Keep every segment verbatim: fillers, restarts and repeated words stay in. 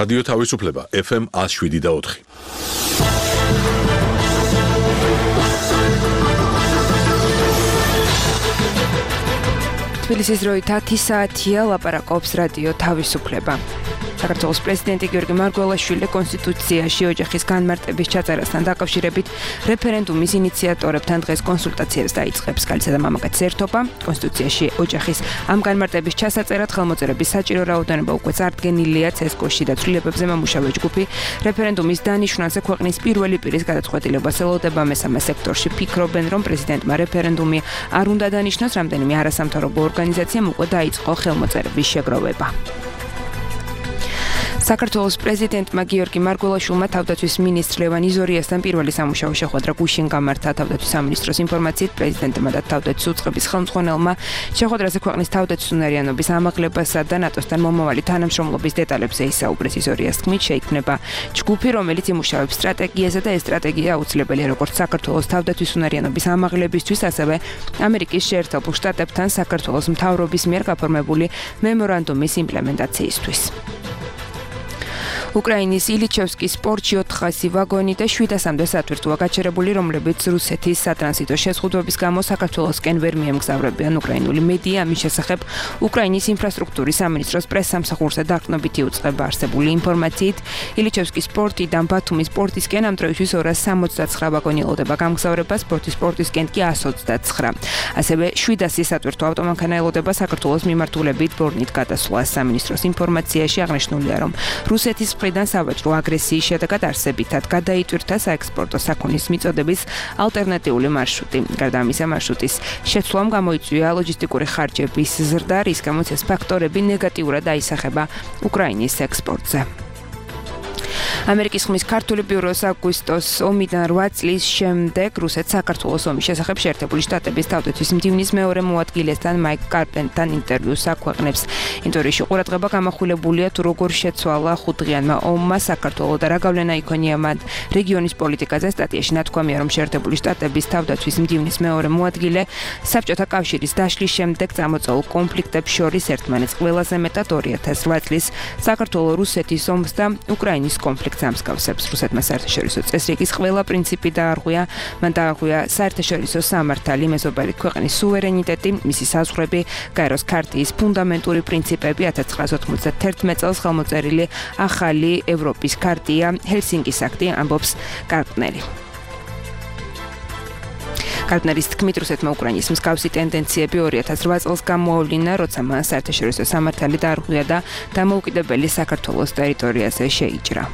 რადიო თავისუფლება ეფ ემ one oh seven და four. თბილისის დროით ათი საათია ლაპარაკობს რადიო თავისუფლება. საქართველოს პრეზიდენტი გიორგი მარგველაშვილი კონსტიტუციაში ოჯახის განმარტების ჩაწერასთან დაკავშირებით რეფერენდუმის ინიციატორებთან დღეს კონსულტაციებს დაიწყებს. ქალისა და მამაკაცის ერთობა კონსტიტუციაში ოჯახის ამ განმარტების ჩასაწერად ხელმოწერების საჭირო რაოდენობა უკვე წარდგენილია. ცესკოში და ცვლილებებზე მომუშავე ჯგუფი რეფერენდუმის დანიშვნაზე ქვეყნის პირველი პირის გადაწყვეტილებას ელოდება. მესამე სექტორში ფიქრობენ, რომ პრეზიდენტმა რეფერენდუმი არ უნდა დანიშნოს. რამდენიმე არასამთავრობო ორგანიზაციამ უკვე დაიწყო ხელმოწერების შეგროვება. საქართველოს პრეზიდენტმა გიორგი მარგველაშვილმა თავდაცვის მინისტრ ლევან იზორიასთან პირველი სამუშაო შეხვედრა გუშინ გამართა. თავდაცვის სამინისტროს ინფორმაციით პრეზიდენტმა და თავდაცვის უწყების ხელმძღვანელმა შეხვედრაზე ქვეყნის თავდაცვის უნარიანობის ამაღლებასა და ნატოსთან მომავალი თანამშრომლობის დეტალებზე ისაუბრეს. იზორიას თქმით, შეიქმნება ჯგუფი, რომელიც იმუშავებს სტრატეგიაზე და ეს სტრატეგია აუცილებელია როგორც საქართველოს თავდაცვის უნარიანობის ამაღლებისთვის, ასევე ამერიკის შეერთებულ შტატებთან საქართველოს მთავრობის მიერ გაფორმებული მემორანდუმის იმპლემენტაციისთვის. უკრაინის ილიჩევსკის პორტში ოთხასი ვაგონი და შვიდასამდე სათვირთოა გაჩერებული, რომლებიც რუსეთის სატრანზიტო შეზღუდვების გამო საქართველოსკენ ვერ მიემგზავრებიან. უკრაინული მედია ამის შესახებ უკრაინის ინფრასტრუქტურის სამინისტროს პრესსამსახურზე დაყრდნობით იუწყება. არსებული ინფორმაციით, ილიჩევსკის პორტიდან ბათუმის პორტისკენ ამ დროისთვის ორას სამოცდათსხრა ვაგონი ელოდება გამგზავრებას, ბორტის პორტისკენ კი one ოცდათსხრა. ასევე შვიდასი სათვირთო ავტომანქანა ელოდება საქართველოს მიმართულებით ბორნით გადასვლას. სამინისტროს ინფორმაციაში აღნიშნულია, რომ რუსეთის მხრიდან სავაჭრო აგრესიის შედეგად არსებითად გადაიტვირთა საექსპორტო საქონლის მიწოდების ალტერნატიული მარშრუტი. გარდა ამისა, მარშრუტის შეცვლამ გამოიწვია ლოჯისტიკური ხარჯების ზრდა, რის გამოც ეს ფაქტორები ნეგატიურად აისახება უკრაინის ექსპორტზე. ამერიკის ხმის ქართული ბიუროს აგვისტოს ომიდან რვა წლის შემდეგ რუსეთს საქართველოს ომის შესახებ შეერთებული შტატების თავდაცვის მდივნის მეორე მოადგილესთან მაიკ კარპენთან ინტერვიუს აქვეყნებს. ინტერვიუში ყურადღება გამახვილებულია თუ როგორ შეცვალა ხუთდღიანმა ომმა საქართველოს და რა გავლენა იქონია მათ რეგიონის პოლიტიკაზე. სტატიაში ნათქვამია, რომ შეერთებული შტატების თავდაცვის მდივნის მეორე მოადგილე საბჭოთა კავშირის დაშლის შემდეგ წამოწეულ კონფლიქტებს შორის ერთმანეთს ყველაზე მეტად ორი ათას რვა წლის საქართველოს რუსეთის ომს და უკრაინის კონფლიქტს ამსგავსებს. რუსეთმა საერთაშორისო წესრიგის ყველა პრინციპი დაარღვია. მან დაარღვია საერთაშორისო სამართალი, მეზობელი ქვეყნის სუვერენიტეტი, მისი საზღვრები, გაეროს ქარტიის ფუნდამენტური პრინციპები. ათას ცხრაასი ოცდაათერთმეტ წელს ხელმოწერილი ახალი ევროპის ქარტია, ჰელსინკის აქტი, ამბობს კარპნერი. კარპნერის თქმით, რუსეთმა უკრაინის მსგავსი ტენდენციები ორი ათას რვა წელს გამოავლინა, როცა მან საერთაშორისო სამართალი დაარღვია და დამოუკიდებელი საქართველოს ტერიტორიაზე შეიჭრა.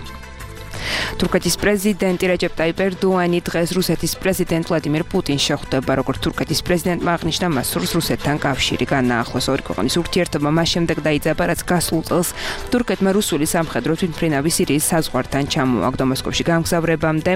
თურქეთის პრეზიდენტი რეჯეპ ტაიპ ერდოანი დღეს რუსეთის პრეზიდენტ ვლადიმირ პუტინს შეხვდება. როგორც თურქეთის პრეზიდენტმა აღნიშნა, მას სურს რუსეთთან კავშირი განაახლოს. ორი ქვეყნის ურთიერთობა მას შემდეგ დაიძაბა, რაც გასულ წელს თურქეთმა რუსული სამხედრო თვითმფრინავი სირიის საზღვართან ჩამოაგდო. მოსკოვში გამგზავრებამდე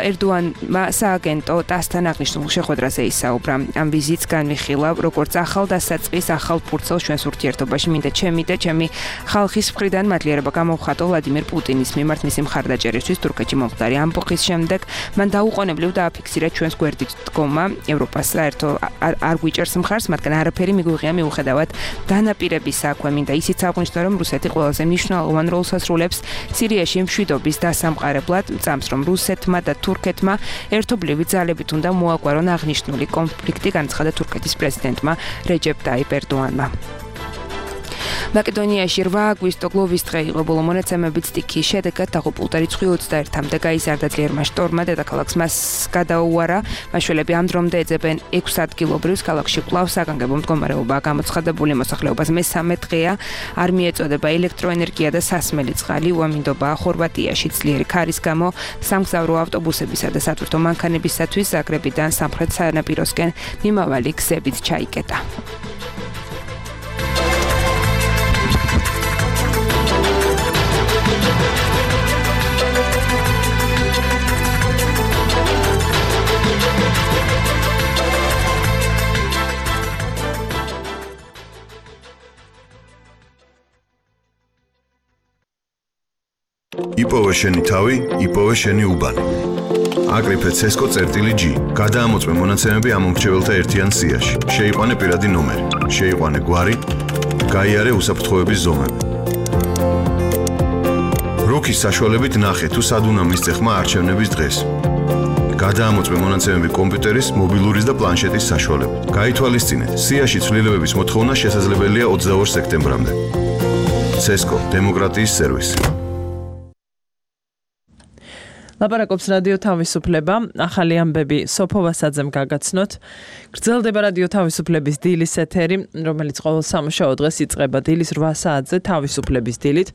ერდოანმა სააგენტო ტასთან აღნიშნულ შეხვედრაზე ისაუბრა. ამ ვიზიტს განვიხილა, როგორც ახალ დასაწყის, ახალ ფურცელს ჩვენს ურთიერთობაში. მინდა ჩემი და ჩემი ხალხის მხრიდან მადლიერება გამოვხატო ვლადიმირ პუტინის მიმართ მისი მხარდაჭერისთვის თურქეთში მომხდარი ამბოხის შემდეგ. მან დაუყოვნებლივ დააფიქსირა ჩვენს გვერდით დგომა. ევროპას საერთო არ გვიჭერს მხარს, მაგრამ არაფერი მიგვიღია მიუხედავად დანაპირების საქმე. მინდა ისიც აღვნიშნო, რომ რუსეთი ყველაზე მნიშვნელოვან როლს ასრულებს სირიაში მშვიდობის დასამყარებლად. წამს, რომ რუსეთმა და თურქეთმა ერთობლივი ძალებით უნდა მოაგვარონ აღნიშნული კონფლიქტი, განცხადა თურქეთის პრეზიდენტმა რეჯეპ ტაიპ ერდოანმა. მაკედონიაში რვა აგვისტო გლოვის დღე იყო. ბოლო მონაცემებით სტიქიის შედეგად დაღუპულთა რიცხვი ოცდაერთამდე გაიზარდა. ძლიერმა შტორმმა დედაქალაქს მას გადაუარა. მაშველები ამ დრომდე ეძებენ ექვს ადგილობრივს. ქალაქში კვლავ საგანგებო მდგომარეობაა გამოცხადებული. მოსახლეობას მესამე დღეა არ მიეწოდება ელექტროენერგია და სასმელი წყალი. უამინდობაა ხორვატიაში ძლიერი ქარის გამო სამგზავრო ავტობუსებისა და სათვირთო მანქანებისათვის ზაგრებიდან სამხრეთ სანაპიროსკენ მიმავალი გზებით ჩაიკეტა. იპოვე შენი თავი, იპოვე შენი უბანი. აკრიფე ცესკო წერტილი G. გადაამოწმე მონაცემები ამ მომრჩეველთა ერთიან სიაში. შეიყვანე პირადი ნომერი, შეიყვანე გვარი, გაიარე უსაფრთხოების ზომები. ბლოკის საშუალებით ნახე თუ სად უნდა მისცე ხმა არჩევნების დღეს. გადაამოწმე მონაცემები კომპიუტერის, მობილურის და პლანშეტის საშუალებით. გაითვალისწინეთ, სიაში ცვლილებების მოთხოვნა შესაძლებელია ოცდაორ სექტემბრამდე. ცესკო, დემოკრატიის სერვისი. ლაპარაკობს რადიო თავისუფლება, ახალი ამბები სოფო ვასაძემ გაგაცნოთ. გრძელდება რადიო თავისუფლების დილის ეთერი, რომელიც ყოველ სამუშაო დღეს იწყება დილის რვა საათზე თავისუფლების დილით.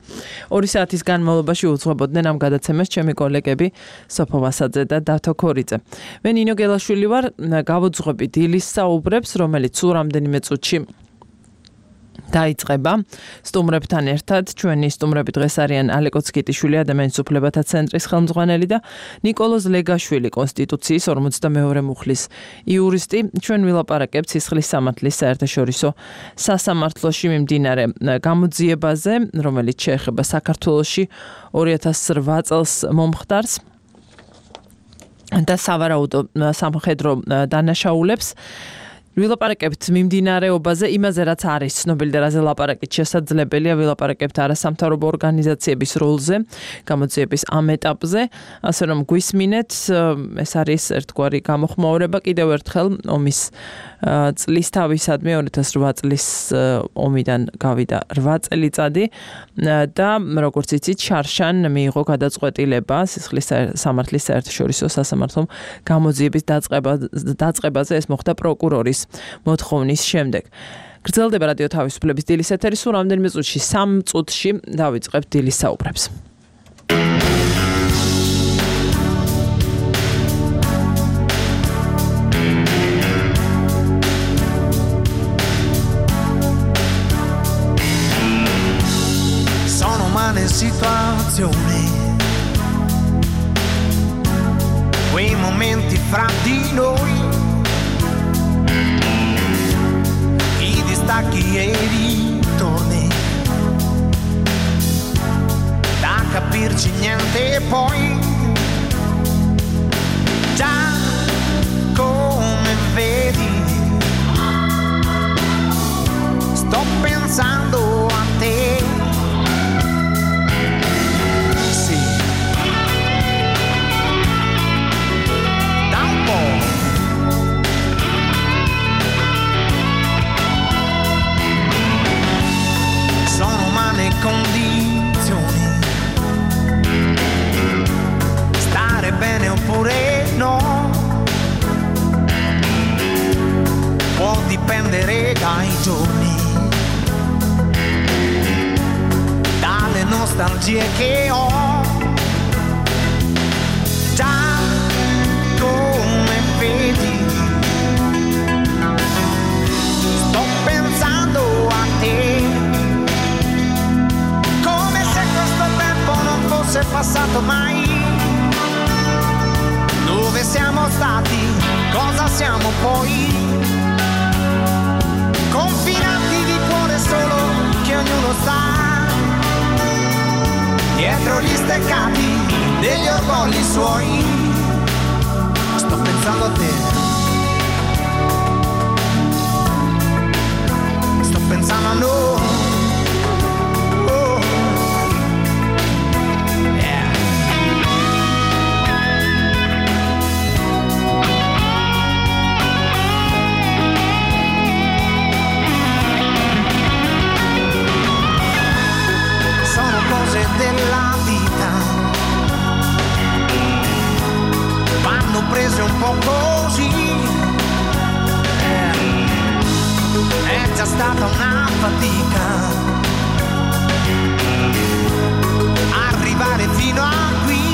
ორი საათის განმავლობაში უძღვებოდნენ ამ გადაცემას ჩემი კოლეგები სოფო ვასაძე და დავთო ქორიძე. მე ნინო გელაშვილი ვარ, გავუძღვები დილის საუბრებს, რომელიც სულ რამდენიმე წუთში დაიწყება. სტუმრებთან ერთად ჩვენი სტუმრები დღეს არიან ალეკო ცკიტიშვილი, ადამიანის უფლებათა ცენტრის ხელმძღვანელი და ნიკოლოზ ლეგაშვილი, კონსტიტუციის ორმოცდამეორე მუხლის იურისტი. ჩვენ ვილაპარაკებთ სისხლის სამართლის საერთაშორისო სასამართლოში მიმდინარე გამოძიებაზე, რომელიც შეეხება საქართველოში ორი ათას რვა წელს მომხდარს და სავარაუდო სამხედრო დანაშაულებს. ვილაპარაკებთ მიმდინარეობაზე, იმაზე რაც არის ცნობილი და რაზე ლაპარაკით შესაძლებელია, ვილაპარაკებთ არასამთავრობო ორგანიზაციების როლზე, გამოძიების ამ ეტაპზე, ასე რომ გვისმინეთ, ეს არის ერთგვარი გამოხმაურება კიდევ ერთხელ ომის წლის თავისადმი ორი ათას რვა წლის ომიდან გავიდა რვა წელიწადი და როგორც იცით, შარშან მიიღო გადაწყვეტილება სისხლის სამართლის საერთაშორისო სასამართლომ გამოძიების დაწყებაზე, ეს მოხდა პროკურორის მოთხოვნის შემდეგ. გრძელდება რადიო თავისუფლების დილის ეთერი, სულ რამდენიმე წუთში, სამ წუთში დავიწყებთ დილის საუბრებს. Sono umane situazioni, quei momenti fra di noi, i distacchi e i ritorni, da capirci niente e poi già come vedi sto pensando a te. Sì, da un po'. Sono umane condizioni, stare bene oppure no, può dipendere dai giorni, dalle nostalgie che ho, già come vedi sto pensando a te. È passato mai, dove siamo stati, cosa siamo poi, confinati di cuore solo che ognuno sta dietro gli steccati degli orgogli suoi. Sto pensando a te, sto pensando a noi. Della vita vanno prese un po' così, è già stata una fatica arrivare fino a qui,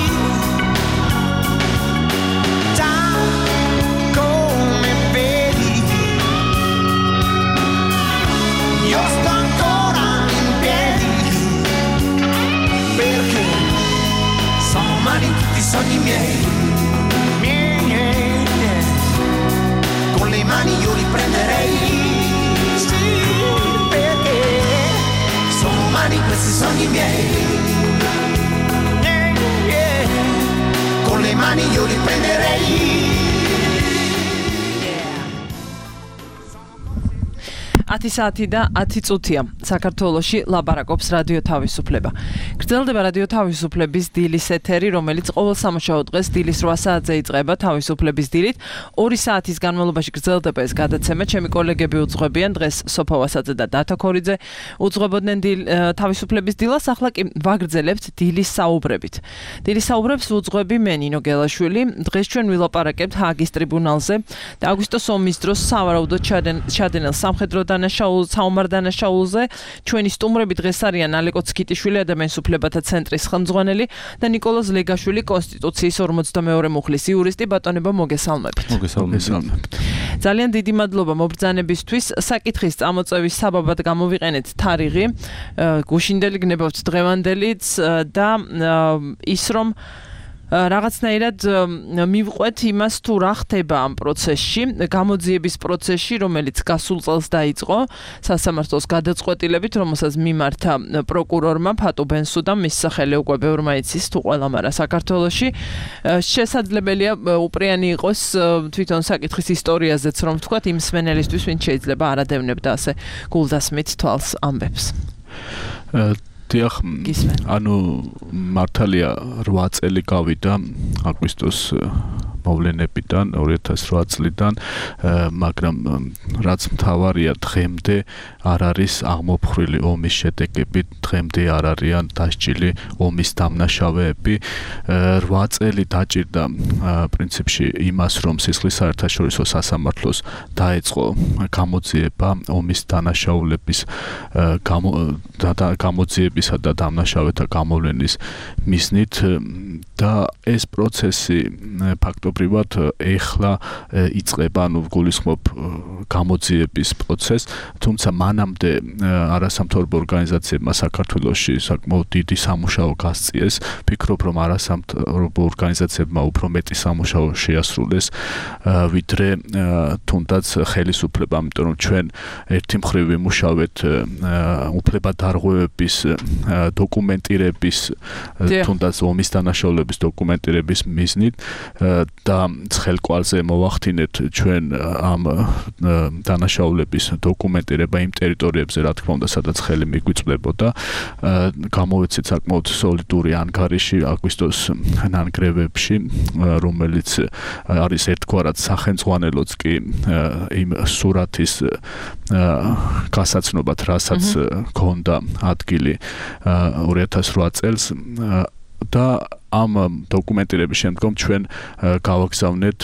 già come vedi io sto ancora in piedi, perché sono umani tutti i sogni miei, miei, miei, miei, con le mani io li prenderei, sì, perché sono umani questi sogni miei, miei, miei, con le mani io li prenderei. ათი საათი და ათი წუთია. საქართველოში ლაპარაკობს რადიო თავისუფლება. გრძელდება რადიო თავისუფლების დილის ეთერი, რომელიც ყოველ სამუშაო დღეს დილის რვა საათზე იწყება თავისუფლების დილით. ორი საათის განმავლობაში გრძელდება ეს გადაცემა. ჩემი კოლეგები უძღვებიან დღეს სოფა ვასაძე და დათო ქორიძე უძღვებოდნენ თავისუფლების დილას, ახლა კი ვაგრძელებთ დილის საუბრებით. დილის საუბრებს უძღვები მე ნინო გელაშვილი. დღეს ჩვენ ვილაპარაკებთ ჰააგის ტრიბუნალზე და აგვისტოს ომის დროს სავარაუდოდ ჩადენილ სამხედრო დანაშაულზე, საომარ დანაშაულზე. ჩვენი სტუმრები დღეს არიან ალეკო ცქიტიშვილი, ადამიანის უფლებათა ცენტრის ხელმძღვანელი და ნიკოლოზ ლეგაშვილი, კონსტიტუციის ორმოცდამეორე მუხლის იურისტი. ბატონებო, მოგესალმებით. მოგესალმებით. ძალიან დიდი მადლობა მობრძანებისთვის. საკითხის წამოწევის საბაბად გამოვიყენეთ თარიღი, გუშინდელი გნებავთ დღევანდელიც და ის რომ რაღაცნაირად მივყვეთ იმას თუ რა ხდება ამ პროცესში, გამოძიების პროცესში, რომელიც გასულ წელს დაიწყო სასამართლოს გადაწყვეტილებით, რომელსაც მიმართა პროკურორმა ფატუ ბენსუდამ, მის სახელი უკვე ბევრმა იცის თუ ყველამ არა საქართველოში. შესაძლებელია უპრიანი იყოს თვითონ საკითხის ისტორიაზეც რომ ვთქვათ, იმ მსმენელისთვის, ვინც შეიძლება არ ადევნებდა ასე გულდასმით თვალს ამბებს. დიახ, ანუ მართალია რვა წელი გავიდა აგვისტოს მოვლენებიდან ორი ათას რვა წლიდან, მაგრამ რაც მთავარია დღემდე არ არის აღმოფხრილი ომის შედეგები, დღემდე არ არიან დასჯილი ომის დამნაშავეები. რვა წელი დაჭირდა პრინციპში იმას, რომ სისხლის საერთაშორისო სასამართლოს დაეწყო გამოძიება ომის დანაშაულების გამოძიებისა და დამნაშავეთა გამოვლენის მიზნით და ეს პროცესი ფაქტობრივად ეხლა იწყება, ანუ გულისხმობ გამოძიების პროცესს, თუმცა მანამდე არასამთავრობო ორგანიზაციებმა საქართველოში საკმაოდ დიდი სამუშაო გასწიეს. ვფიქრობ, რომ არასამთავრობო ორგანიზაციებმა უფრო მეტი სამუშაო შეასრულეს, ვიდრე თუნდაც ხელისუფლებამ, იმიტომ რომ ჩვენ ერთი მხრივ ვიმუშავეთ უფლებადარღვევების დოკუმენტირების, თუნდაც ომის დანაშაულების დოკუმენტირების მიზნით და ცხელკვალზე მოვახდინეთ ჩვენ ამ დანაშაულების დოკუმენტირება იმ ტერიტორიებზე, რა თქმა უნდა, სადაც ხელი მიგვიწვდებოდა. გამოვეცეთ საკმაოდ სოლიდური ანგარიში აგვისტოს ნანგრევებში, რომელიც არის ერთგვარად სახელმძღვანელოც კი იმ სურათის გასაცნობად, რასაც ქონდა ადგილი ორი ათას რვა წელს და ამ დოკუმენტირების შემდგომ ჩვენ გავაგზავნეთ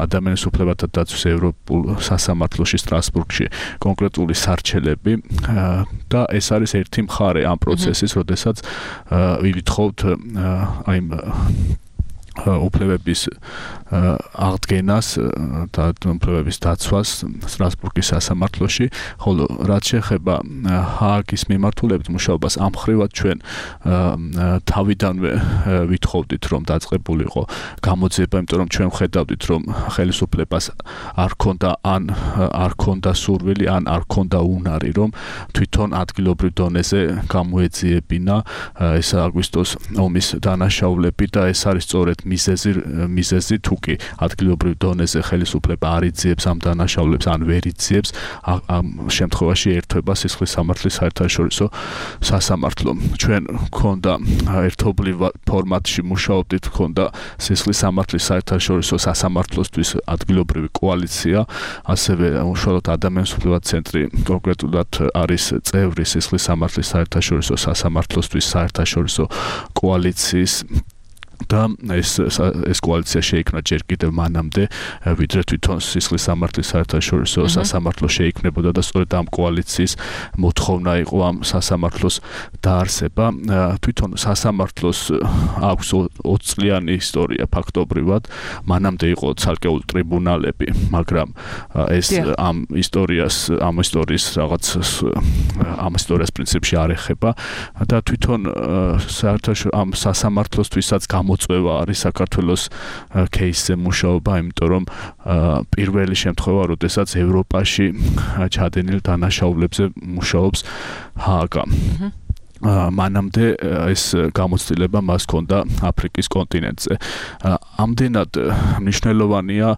ადამიანის უფლებათა დაცვის ევროპულ სასამართლოში სტრასბურგში კონკრეტული სარჩელები და ეს არის ერთი მხარე ამ პროცესის, როდესაც ვითხოვთ აი უფლებების აღდგენას და უფლებების დაცვას სტრასბურგის სასამართლოში, ხოლო რაც შეეხება ჰააგის მიმართულებით მუშაობას, ამ მხრივად ჩვენ თავიდანვე ვითხოვდით, რომ დაწყებულიყო გამოძიება, იმიტომ რომ ჩვენ ხედავდით, რომ ხელისუფლებას არ ქონდა ან არ ქონდა სურვილი, ან არ ქონდა უნარი, რომ თვითონ ადგილობრივ დონეზე გამოეძიებინა ეს აგვისტოს ომის დანაშაულები და ეს არის სწორედ მიზეზი მიზეზი თუ კი ადგილობრივ დონეზე ხელისუფლება არ იძიებს ამ დანაშაულებს ან ვერ იძიებს, ამ შემთხვევაში ერთვება სისხლის სამართლის საერთაშორისო სასამართლო. ჩვენ გქონდა ერთობლივ ფორმატში მუშაობდით, გქონდა სისხლის სამართლის საერთაშორისო სასამართლოსთვის ადგილობრივი კოალიცია, ასევე უშუალოდ ადამიანის უფლებათა ცენტრი კონკრეტულად არის წევრი სისხლის სამართლის საერთაშორისო სასამართლოსთვის საერთაშორისო კოალიციის და ეს ეს კოალიცია შეიქმნა ჯერ კიდევ მანამდე, ვიდრე თვითონ სისხლის სამართლის საერთაშორისო სასამართლო შეიქმნებოდა და სწორედ ამ კოალიციის მოთხოვნა იყო ამ სასამართლოს დაარსება. თვითონ სასამართლოს აქვს ოცწლიანი ისტორია ფაქტობრივად, მანამდე იყო ცალკეული ტრიბუნალები, მაგრამ ეს ამ ისტორიას, ამ ისტორიის რაღაც ამ ისტორიას პრინციპში არ ეხება და თვითონ საერთაშორისო ამ სასამართლოსთვისაც მოწვევა არის საქართველოს кейსზე მუშაობა, იმიტომ რომ პირველი შემთხვევა, როდესაც ევროპაში ჩადენილ დანაშაულებზე მუშაობს ჰააგა. მანამდე ეს გამოცდილება მას ჰქონდა აფრიკის კონტინენტზე. ამდენად მნიშვნელოვანია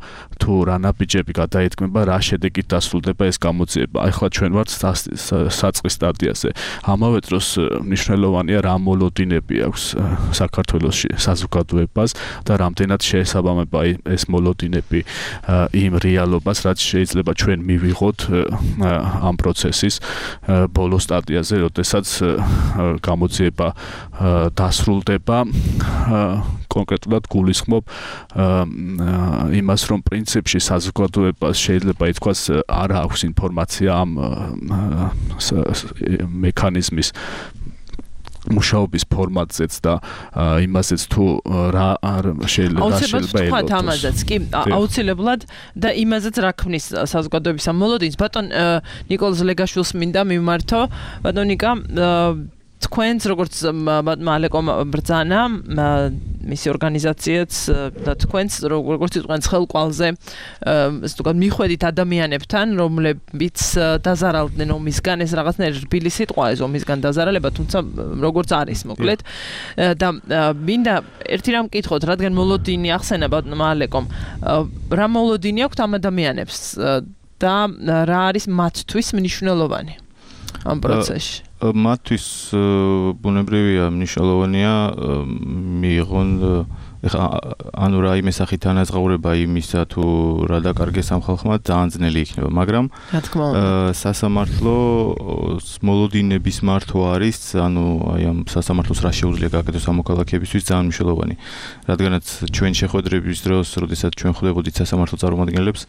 თუ რა ნაბიჯები გადაეთქმება, რა შედეგით დასრულდება ეს გამოძიება. ახლა ჩვენ ვართ საწყის სტადიაზე. ამავე დროს მნიშვნელოვანია რა მოლოდინები აქვს საქართველოში საზოგადოებას და რამდენად შეესაბამება ეს მოლოდინები იმ რეალობას, რაც შეიძლება ჩვენ მივიღოთ ამ პროცესის ბოლო სტადიაზე, როდესაც გამოძიება დასრულდება. კონკრეტულად გულისხმობ იმას, რომ პრინციპში საზოგადოებას შეიძლება ითქვას არ აქვს ინფორმაცია ამ მექანიზმის მუშაობის ფორმატზეც და იმასეც თუ რა შეიძლება შეიძლება ელოდოს. ამაზეც კი აუცილებლად და იმაზეც რა ქმნის საზოგადოების ამ მოლოდინს. ბატონ ნიკოლოზ ლეგაშვილს მინდა მიმართო. ბატონ ნიკა, თქვენს როგორც მალეკომ ბრძანა მისი ორგანიზაციაც და თქვენს როგორც თქვენს ხელყვალზე ასე ვთქვათ მიხვედით ადამიანებთან, რომლებიც დაზარალდნენ ომისგან, ეს რაღაცნაირი რბილი სიტყვა ეს ომისგან დაზარალება, თუმცა როგორც არის მოკლედ და მინდა ერთი რამ მკითხოთ, რადგან მოლოდინი ახსენა ბატონ მალეკომ, რა მოლოდინი აქვს ამ ადამიანებს და რა არის მათთვის მნიშვნელოვანი ამ პროცესში? მათთვის ბუნებრივია მნიშვნელოვანია მიიღონ ანუ რაიმე სახით ანაზღაურება იმისა თუ რა დაკარგეს ამ ხალხმა ძალიან ძნელი იქნება, მაგრამ სასამართლო მოლოდინების მართვა არის, ანუ აი ამ სასამართლოს რა შეუძლია გააკეთოს ამ მოქალაქეებისთვის ძალიან მნიშვნელოვანი. რადგანაც ჩვენ შეხვედრების დროს, როდესაც ჩვენ ხვდებოდით სასამართლო წარმომადგენლებს,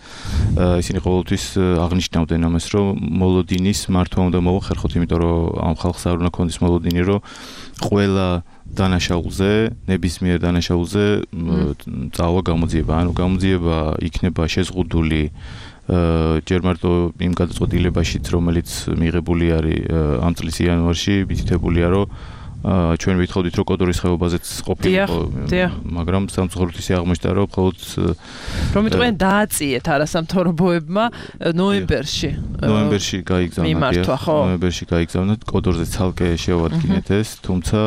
ისინი ყოველთვის აღნიშნავდნენ ამას, რომ მოლოდინის მართვა უნდა მოახერხოთ, იმიტომ რომ ამ ხალხს არ უნდა ქონდეს მოლოდინი, რომ ყველა დანაშაულზე, ნებისმიერ დანაშაულზე წავა გამოძიება. ანუ გამოძიება იქნება შეზღუდული ჯერ მარტო იმ გადაწყვეტილებაშიც, რომელიც მიღებული არის ამ წლის იანვარში, მითითებულია, რომ ჩვენ ვითხოვდით, რომ კოდორის ხეობაზეც ყოფილიყო, მაგრამ სამწუხაროდ ისე აღმოჩნდა, რომ მხოლოდ რომ თქვენ დააწიეთ არასამთავრობოებმა ნოემბერში. ნოემბერში გაიგზავნა, ნოემბერში გაიგზავნა, კოდორზე ცალკე შევადგინეთ ეს, თუმცა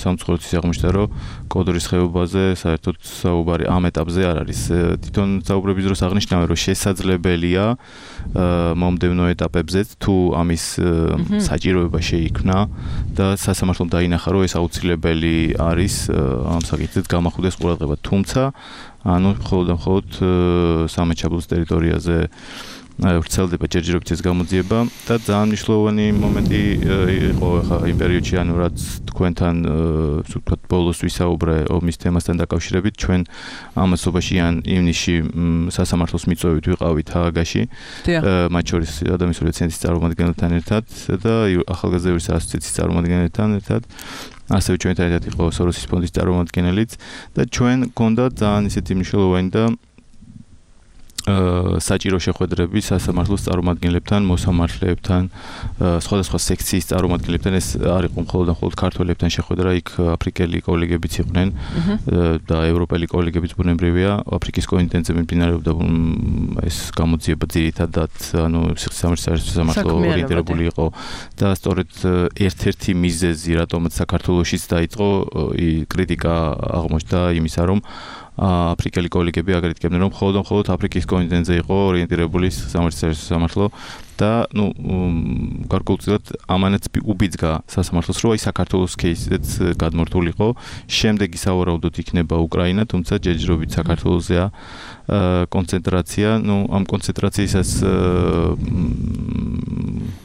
სამწუხაროდ ისე აღმოჩნდა, რომ კოდორის ხეობაზე საერთოდ საუბარი ამ ეტაპზე არ არის. თვითონ საუბრების დროს აღნიშნავენ, რომ შესაძლებელია მომდევნო ეტაპებზეც თუ ამის საჭიროება შეიქმნა და სასამართლომ დაინახა, რომ ეს აუცილებელი არის ამ საკითხით გამახვილდეს ყურადღება. თუმცა, ანუ მხოლოდ და მხოლოდ სამეჩაბლოს ტერიტორიაზე ვრცელდება ჯერჯერობით ეს გამოძიება და ძალიან მნიშვნელოვანი მომენტი იყო ხა იმ პერიოდში, ანუ რაც თქვენთან ვთქვათ ბოლოს ვისაუბრე ომის თემასთან დაკავშირებით, ჩვენ ამასობაში ან ივნისში სასამართლოს მიწვევით ვიყავით ჰააგაში, მათ შორის ადამიანური ცენტრის წარმომადგენელთან ერთად და ახალგაზრდების ასოციაციის წარმომადგენელთან ერთად. ასევე ჩვენთან ერთად იყო სოროსის ფონდის წარმომადგენელიც და ჩვენ გქონდა ძალიან ისეთი მნიშვნელოვანი და საჭირო შეხვედრები სასამართლოს წარმომადგენლებთან, მოსამართლეებთან, სხვადასხვა სექციის წარმომადგენლებთან. ეს არ იყო მხოლოდ და მხოლოდ ქართველებთან შეხვედრა, იქ აფრიკელი კოლეგებიც იყვნენ და ევროპელი კოლეგებიც ბუნებრივია. აფრიკის კონტინენტზე მიმდინარეობდა ეს გამოძიება ძირითადად, ანუ სასამართლო ორიენტირებული იყო და სწორედ ერთ-ერთი მიზეზი, რატომაც საქართველოშიც დაიწყო კრიტიკა აღმოჩნდა იმისა, რომ აფრიკელი კოლეგები აგრეთკებდნენ, რომ მხოლოდ მხოლოდ აფრიკის კონტინენტზე იყო ორიენტირებული სასამართლო და ნუ გარკვეულწილად ამანაც უბიძგა სასამართლოს, რომ აი საქართველოს кейსიც გადმორთულიყო. შემდეგი სავარაუდოდ იქნება უკრაინა, თუმცა ჯერჯერობით საქართველოსზეა კონცენტრაცია. ნუ ამ კონცენტრაციისას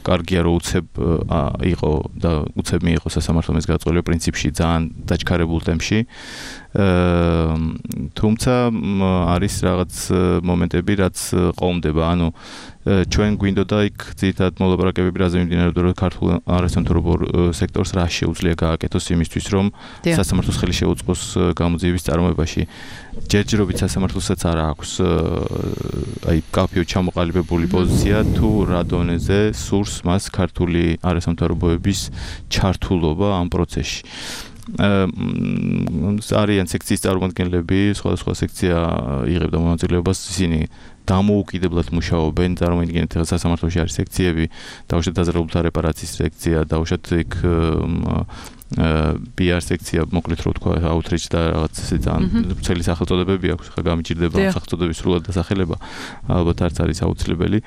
კარგია რომ უცებ იყო და უცებ მიიღო სასამართლომ ეს გადაწყვეტილება პრინციპში ძალიან დაჩქარებულ ტემპში. თუმცა არის რაღაც მომენტები, რაც ყომდება, ანუ ჩვენ გვინდოდა იქ ძირითადად მოლაპარაკებები რაზე მიმდინარეობდა, რომ ქართულ არასამთავრობო სექტორს რა შეუძლია გააკეთოს იმისთვის, რომ სასამართლოს ხელი შეუწყოს გამოძიების წარმოებაში. ჯერჯერობით სასამართლოსაც არ აქვს აი კაფეო ჩამოყალიბებული პოზიცია თუ რა დონეზე სურს მას ქართული არასამთავრობოების ჩართულობა ამ პროცესში. არიან სექციის წარმომადგენლები, სხვადასხვა სექცია იღებდა მონაწილეობას, ისინი დამოუკიდებლად მუშაობენ, წარმოიდგინეთ ახლა სასამართლოში არის სექციები, დაუშვათ დაზარალებულთა რეპარაციის სექცია, დაუშვათ იქ პი არ სექცია, მოკლედ რო თქვა, outreach და რაღაც ესე ძალიან ცელი სახელწოდებები აქვს, ხა გამიჭირდება ამ სახელწოდების სრულად დასახელება, ალბათ არც არის აუცილებელი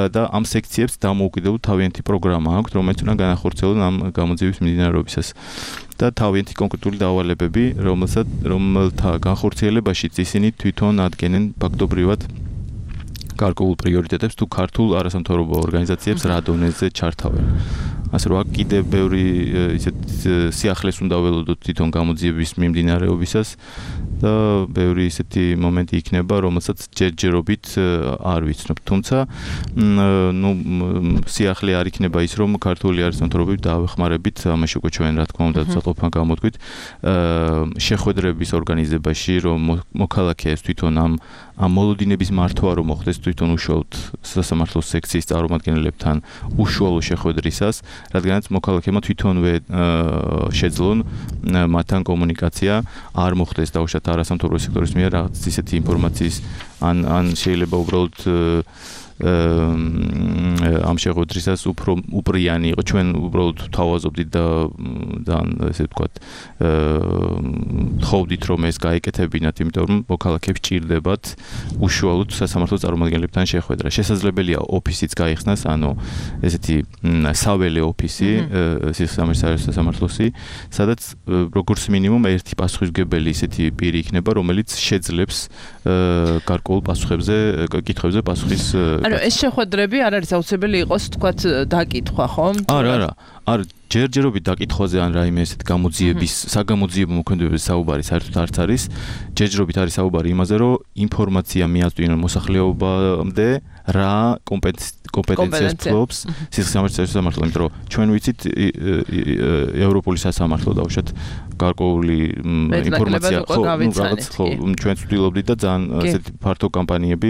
და ამ სექციებს დამოუკიდებლად თავიანთი პროგრამა აქვს, რომელიც უნდა განახორციელონ ამ გამოძიების მიმდინარეობისას. და თავიანთი კონკრეტული დავალებები, რომელსაც რომელთა განხორციელებაშიც ისინი თვითონ ადგენენ ფაქტობრივად გარკვეულ პრიორიტეტებს თუ ქართულ არასამთავრობო ორგანიზაციებს რა დონეზე ჩართავენ. ასე რომ აქ კიდე ბევრი ისეთ სიახლეს უნდა ველოდოთ თვითონ გამოძიების მიმდინარეობისას და ბევრი ისეთი მომენტი იქნება, რომელსაც ჯერჯერობით არ ვიცნობ. თუმცა ნუ სიახლე არ იქნება ის, რომ ქართული არასამთავრობოებით დავეხმარებით, ამაში უკვე ჩვენ რა თქმა უნდა საყოფან გამოთქვით, შეხვედრების ორგანიზებაში, რომ მოქალაქეებს თვითონ ამ ამ მოლოდინების მართვა რომ მოხდეს თვითონ უშუალოდ სასამართლოს სექციის წარმომადგენლებთან უშუალო შეხვედრისას, რადგანაც მოქალაქეებმა თვითონვე შეძლონ მათთან კომუნიკაცია არ მოხდეს დაუშვათ არასამთავრობო სექტორის მიერ რაღაც ისეთი ინფორმაციის ან ან შეიძლება უბრალოდ ამ შეხვედრისას უფრო უპრიანი იყო, ჩვენ უბრალოდ თავაზობდით და და ესე ვთქვათ თხოვდით რომ ეს გაეკეთებინათ, იმიტომ რომ მოქალაქეებს ჭირდებათ უშუალოდ სასამართლოს წარმომადგენლებთან შეხვედრა. შესაძლებელია ოფისიც გაიხსნას, ანუ ესეთი საველე ოფისი სასამართლოსი, სადაც როგორც მინიმუმ ერთი პასუხისმგებელი ისეთი პირი იქნება, რომელიც შეძლებს გარკვეულ პასუხებზე, კითხვებზე პასუხის ანუ ეს შეხვედრები არ არის აუცილებელი იყოს თქვათ დაკითხვა, ხო? არა, არა. არ ჯერჯერობით დაკითხვაზე ან რაიმე ესეთ გამოძიების, საგამოძიებო მოქმედებების საუბარი საერთოდ არც არის. ჯერჯერობით არის საუბარი იმაზე, რომ ინფორმაცია მიაწვდინონ მოსახლეობამდე რა კომპეტენციას ფლობს სისხლის სამართლო, იმიტომ რომ ჩვენ ვიცით ევროპული სასამართლო დაუშვათ გარკვეული ინფორმაცია ხო, რაღაც ხო, ჩვენ ვცდილობდით და ძალიან ესეთი ფართო კამპანიები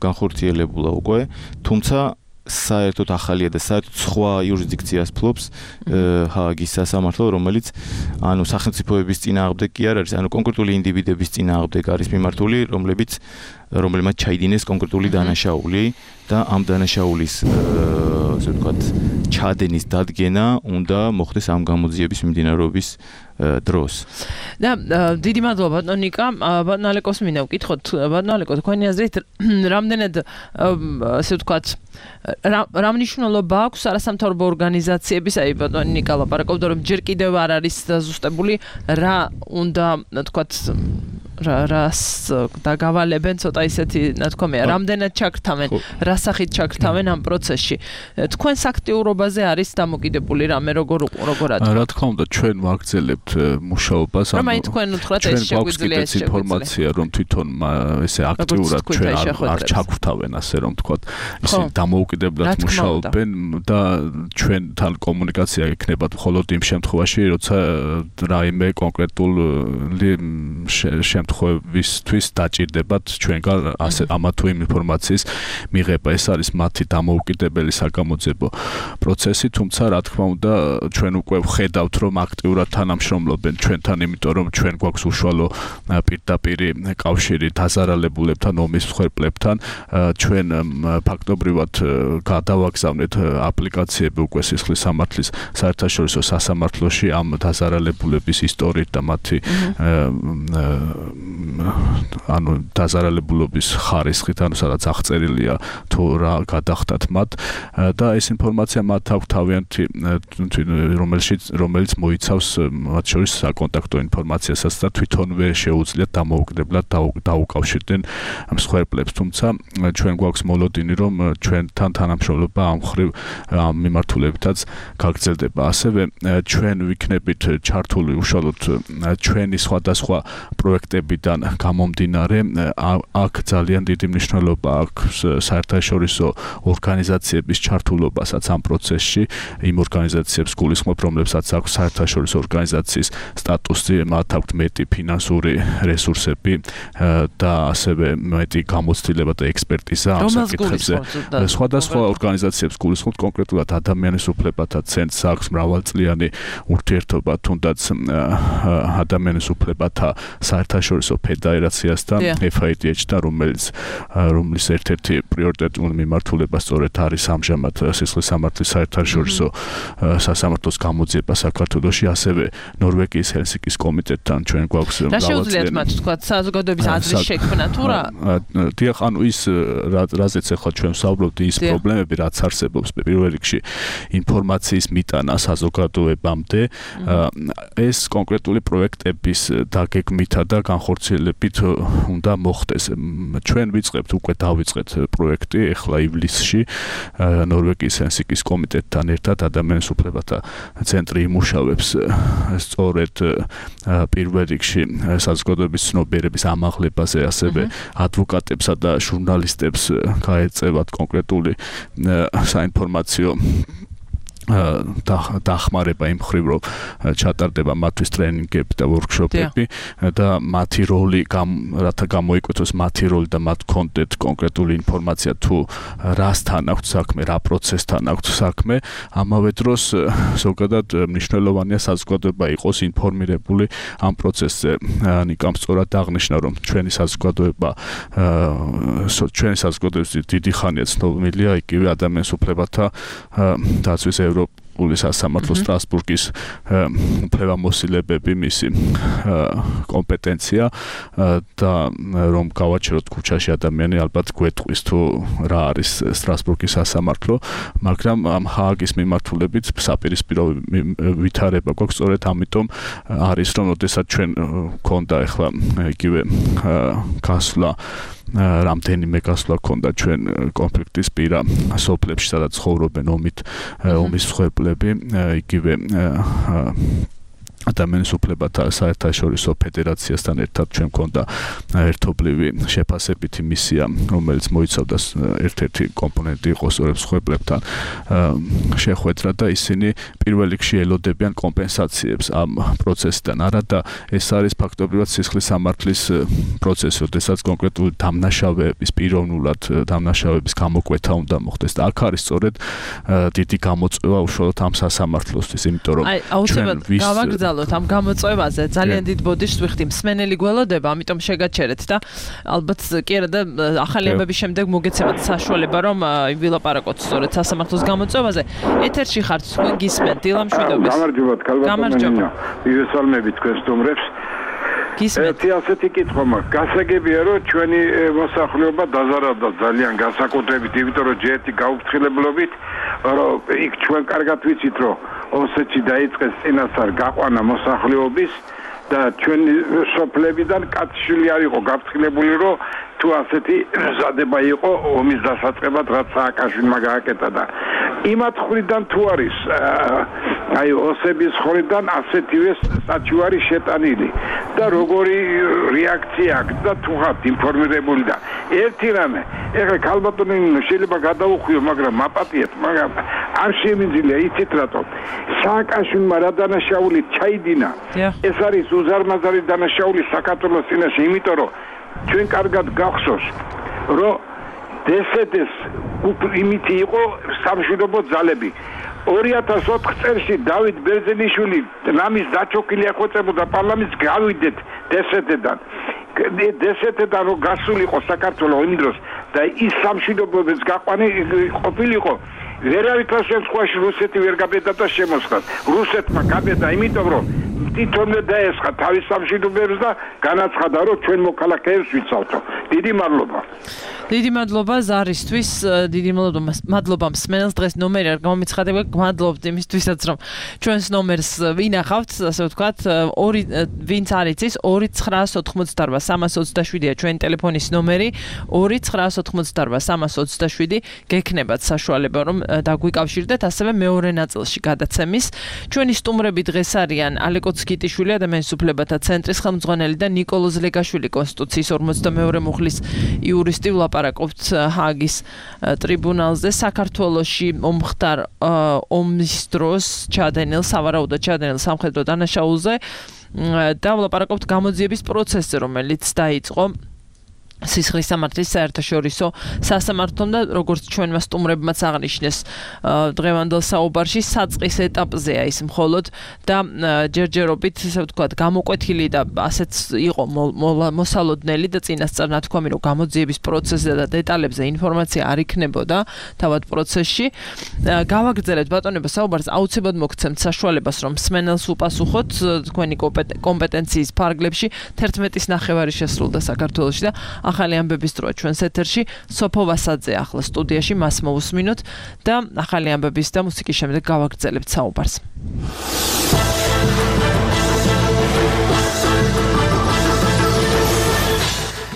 განხორციელებულა უკვე, თუმცა საერთოდ ახალია და საერთოდ სხვა იურისდიქციას ფლობს ჰააგის სასამართლო, რომელიც ანუ სახელმწიფოების წინააღმდეგ კი არ არის, ანუ კონკრეტული ინდივიდების წინააღმდეგ არის მიმართული, რომლებიც რომელმაც ჩაიდინეს კონკრეტული დანაშაული და ამ დანაშაულის ასე ვთქვათ ჩადენის დადგენა უნდა მოხდეს ამ გამოძიების მიმდინარეობის დროს. და დიდი მადლობა ბატონ ნიკა, ბატონ ალეკოს მინდა ვკითხოთ, ბატონ ალეკო, თქვენი აზრით რამდენად ასე ვთქვათ რა მნიშვნელობა აქვს არასამთავრობო ორგანიზაციების, აი ბატონ ნიკა ლაპარაკობდა, რომ ჯერ კიდევ არ არის ზუსტებული რა უნდა ვთქვათ რა რას დაგავალებენ ცოტა ისეთი ნათქვამია, რამდენად ჩაგრთავენ, რა სახით ჩაგრთავენ ამ პროცესში. თქვენს აქტიურობაზე არის დამოკიდებული რამე როგორ როგორად? რა თქმა უნდა, ჩვენ ვაგრძელებთ მუშაობას, ანუ რომ თქვენ უთხრათ ეს შეგვიძლია ეს ინფორმაცია, რომ თვითონ ესე აქტიურად ჩვენ არ ჩაგრთავენ, ასე რომ ვთქვათ, ისინი დამოუკიდებლად მუშაობენ და ჩვენთან კომუნიკაცია იქნება მხოლოდ იმ შემთხვევაში, როცა რაიმე კონკრეტული შემთხვევისთვის დაჭირდებათ ჩვენგან ასე ამა თუ იმ ინფორმაციის მიღება. ეს არის მათი დამოუკიდებელი საგამოძიებო პროცესი, თუმცა რა თქმა უნდა ჩვენ უკვე ვხედავთ, რომ აქტიურად თანამშრომლობენ ჩვენთან, იმიტომ რომ ჩვენ გვაქვს უშუალო პირდაპირი კავშირი დაზარალებულებთან, ომის მსხვერპლებთან. ჩვენ ფაქტობრივად გადავაგზავნეთ აპლიკაციები უკვე სისხლის სამართლის საერთაშორისო სასამართლოში ამ დაზარალებულების ისტორიით და მათი ანუ დაზარალებულობის ხარისხით, ანუ სადაც აღწერილია თუ რა გადახდათ მათ და ეს ინფორმაცია მათ აქვს თავიანთი, რომელშიც რომელიც მოიცავს მათ შორის საკონტაქტო ინფორმაციასაც და თვითონვე შეუძლიათ დამოუკიდებლად დაუკავშირდნენ მსხვერპლებს. თუმცა ჩვენ გვაქვს მოლოდინი, რომ ჩვენთან თანამშრომლობა ამ მხრივ ამ მიმართულებითაც გაგრძელდება. ასევე ჩვენ ვიქნებით ჩართული უშუალოდ ჩვენი სხვადასხვა პროექტები ფაქტორებიდან გამომდინარე აქ ძალიან დიდი მნიშვნელობა აქვს საერთაშორისო ორგანიზაციების ჩართულობასაც ამ პროცესში, იმ ორგანიზაციებს გულისხმობ, რომლებსაც აქვს საერთაშორისო ორგანიზაციის სტატუსი, მათ აქვთ მეტი ფინანსური რესურსები და ასევე მეტი გამოცდილება და ექსპერტიზა ამ საკითხებზე. სხვადასხვა ორგანიზაციებს გულისხმობ კონკრეტულად ადამიანის უფლებათა ცენტრს აქვს მრავალწლიანი ურთიერთობა თუნდაც ადამიანის უფლებათა საერთაშორისო ფედერაციასთან ეფ აი დი ეიჩ-თან, რომელიც რომლის ერთ-ერთი პრიორიტეტული მიმართულება სწორედ არის ამჟამად სისხლის სამართლის საერთაშორისო სასამართლოს გამოძიება საქართველოში, ასევე ნორვეგიის ჰელსინკის კომიტეტთან ჩვენ გვაქვს რა შეუძლიათ მათ თქვა საზოგადოების აზრის შექმნა თუ რა? დიახ, ანუ ის რაზეც ახლა ჩვენ ვსაუბრობთ, ის პრობლემები რაც არსებობს პირველ რიგში ინფორმაციის მიტანა საზოგადოებამდე, ეს კონკრეტული პროექტების დაგეგმითა და განხორციელებით უნდა მოხდეს. ჩვენ ვიწყებთ, უკვე დავიწყეთ პროექტი ახლა ივლისში ნორვეგიის ჰელსინკის კომიტეტთან ერთად ადამიანის უფლებათა ცენტრი იმუშავებს სწორედ პირველ რიგში საზოგადოების ცნობიერების ამაღლებაზე, ასევე ადვოკატებსა და ჟურნალისტებს გაეწევათ კონკრეტული საინფორმაციო დახმარება იმ მხრივ, რომ ჩატარდება მათთვის ტრენინგები და ვორქშოპები და მათი როლი, რათა გამოიკვეთოს მათი როლი და მათ კონტენტ კონკრეტული ინფორმაცია თუ რასთან აქვს საქმე, რა პროცესთან აქვს საქმე, ამავე დროს ზოგადად მნიშვნელოვანია საზოგადოება იყოს ინფორმირებული ამ პროცესზე. ნიკამ სწორად აღნიშნა, რომ ჩვენი საზოგადოება ჩვენი საზოგადოების დიდი ხანია ცნობილია იგივე ადამიანის უფლებათა დაცვის ევროპული სასამართლო სტრასბურგის უფლებამოსილებები მისი კომპეტენცია და რომ გავაჩეროთ ქუჩაში ადამიანი ალბათ გვეტყვის თუ რა არის სტრასბურგის სასამართლო, მაგრამ ამ ჰააგის მიმართულებით საპირისპირო ვითარება გვაქვს, სწორედ ამიტომ არის, რომ ოდესაც ჩვენ გქონდა ახლა იგივე გასვლა რამდენიმე გასვლა ქონდა ჩვენ კონფლიქტის პირა სოფლებში, სადაც ცხოვრობენ ომით ომის მსხვერპლები, იგივე ადამიანის უფლებათა საერთაშორისო ფედერაციასთან ერთად ჩვენ გქონდა ერთობლივი შეფასებითი მისია, რომელიც მოიცავდა ერთ-ერთი კომპონენტი იყო სწორედ მსხვერპლებთან შეხვედრა და ისინი პირველ რიგში ელოდებიან კომპენსაციებს ამ პროცესიდან. არა და ეს არის ფაქტობრივად სისხლის სამართლის პროცესი, როდესაც კონკრეტული დამნაშავეების პიროვნულად დამნაშავეების გამოკვეთა უნდა მოხდეს. და აქ არის სწორედ დიდი გამოწვევა უშუალოდ ამ სასამართლოსთვის, იმიტომ რომ ჩვენ ვის ამ გამოწვევაზე ძალიან დიდ ბოდიშს ვიხდი, მსმენელი გველოდება, ამიტომ შეგაჩერეთ და ალბათ კი არა და ახალი ამბების შემდეგ მოგეცემათ საშუალება, რომ ვილაპარაკოთ სწორედ სასამართლოს გამოწვევაზე. ეთერში ხართ, თქვენ გისმენთ დილა მშვიდობის. გამარჯობათ, ქალბატონო. მივესალმებით თქვენ სტუმრებს. გისმენთ. ერთი ასეთი კითხვა მაქვს. გასაგებია, რომ ჩვენი მოსახლეობა დაზარალდა ძალიან განსაკუთრებით, იმიტომ რომ ჯერ ერთი გაუფრთხილებლობით, რომ იქ ჩვენ კარგად ვიცით, რომ ოსეთში დაიწყეს წინასწარ გაყვანა მოსახლეობის და ჩვენი სოფლებიდან კაცშვილი არ იყო გაფრთხილებული, რომ თუ ასეთი მზადება იყო ომის დასაწყებად, რაც სააკაშვილმა გააკეთა და იმათ ხრიდან თუ არის აი ოსების ხრიდან ასეთივე საჩუარი შეტანილი და როგორი რეაქცია აქვს და თუ ხართ ინფორმირებული და ერთი რამე, ეხლა ქალბატონი შეიძლება გადაუხვიო, მაგრამ მაპატიეთ, მაგრამ არ შემიძლია იცით რატომ სააკაშვილმა რა დანაშაული ჩაიდინა, ეს არის უზარმაზარი დანაშაული საქართველოს წინაშე, იმიტომ რომ ჩვენ კარგად გახსოვს, რომ დე ეს ე-ს იმითი იყო სამშვიდობო ძალები. ორი ათას ოთხ წელს დავით ბერძენიშვილი რამის დაჩოქილი ეხვეწებოდა პარლამენტს, გავიდეთ დე ეს ე-დან. დე ეს ე-დან რომ გასული იყო საქართველოს იმ დროს და ის სამშვიდობოების გაყვანი ყოფილიყო, ვერავითარ შემთხვევაში რუსეთი ვერ გაბედა შემოსხდათ. რუსეთმა გაბედა, იმიტომ რომ თვითონვე დაესხა თავის სამშვიდობოებს და განაცხადა, რომ ჩვენ მოქალაქეებს ვიცავთო. დიდი მადლობა. დიდი მადლობა ზარისთვის, დიდი მადლობა მადლობა მსმენელს დღეს ნომერი არ გამომიცხადება, გმადლობთ იმისთვისაც რომ ჩვენს ნომერს ვინახავთ, ასე ვთქვათ, ორი ვინც არ იცის ორი ცხრაას ოთხმოცდაარბა სამას ოცდაშვიდია ჩვენი ტელეფონის ნომერი ორი ცხრაას ოთხმოცდაარბა სამას ოცდაშვიდი გექნებათ საშუალება რომ დაგვიკავშირდეთ ასევე მეორე ნაწილში გადაცემის ჩვენი სტუმრები დღეს არიან ალეკო ცკიტიშვილი ადამიანის უფლებათა ცენტრის ხელმძღვანელი და ნიკოლოზ ლეგაშვილი კონსტიტუციის ორმოცდამეორე მუხლის იურისტი ვლაპარაკობთ ჰააგის ტრიბუნალზე საქართველოში მომხდარ ომის დროს ჩადენილ სავარაუდოდ ჩადენილ სამხედრო დანაშაულზე და ვლაპარაკობთ გამოძიების პროცესზე რომელიც დაიწყო სისხლის სამართლის საერთაშორისო სასამართლომ და როგორც ჩვენმა სტუმრებმაც აღნიშნეს დღევანდელ საუბარში საწყის ეტაპზეა ის მხოლოდ და ჯერჯერობით ესე ვთქვათ გამოკვეთილი და ასეც იყო მოსალოდნელი და წინასწარ ნათქვამი რომ გამოძიების პროცესზე და დეტალებზე ინფორმაცია არ იქნებოდა თავად პროცესში გავაგრძელებთ ბატონებო საუბარს აუცილებლად მოგცემთ საშუალებას რომ მსმენელს უპასუხოთ თქვენი კომპეტენციის ფარგლებში თერთმეტის ნახევარი შესრულდა საქართველოში და ახალი ამბების დროა ჩვენს ეთერში სოფო ვასაძე ახლა სტუდიაში მას მოусმინოთ და ახალი ამბების და მუსიკის შემდეგ გავაგრძელებთ საუბარს.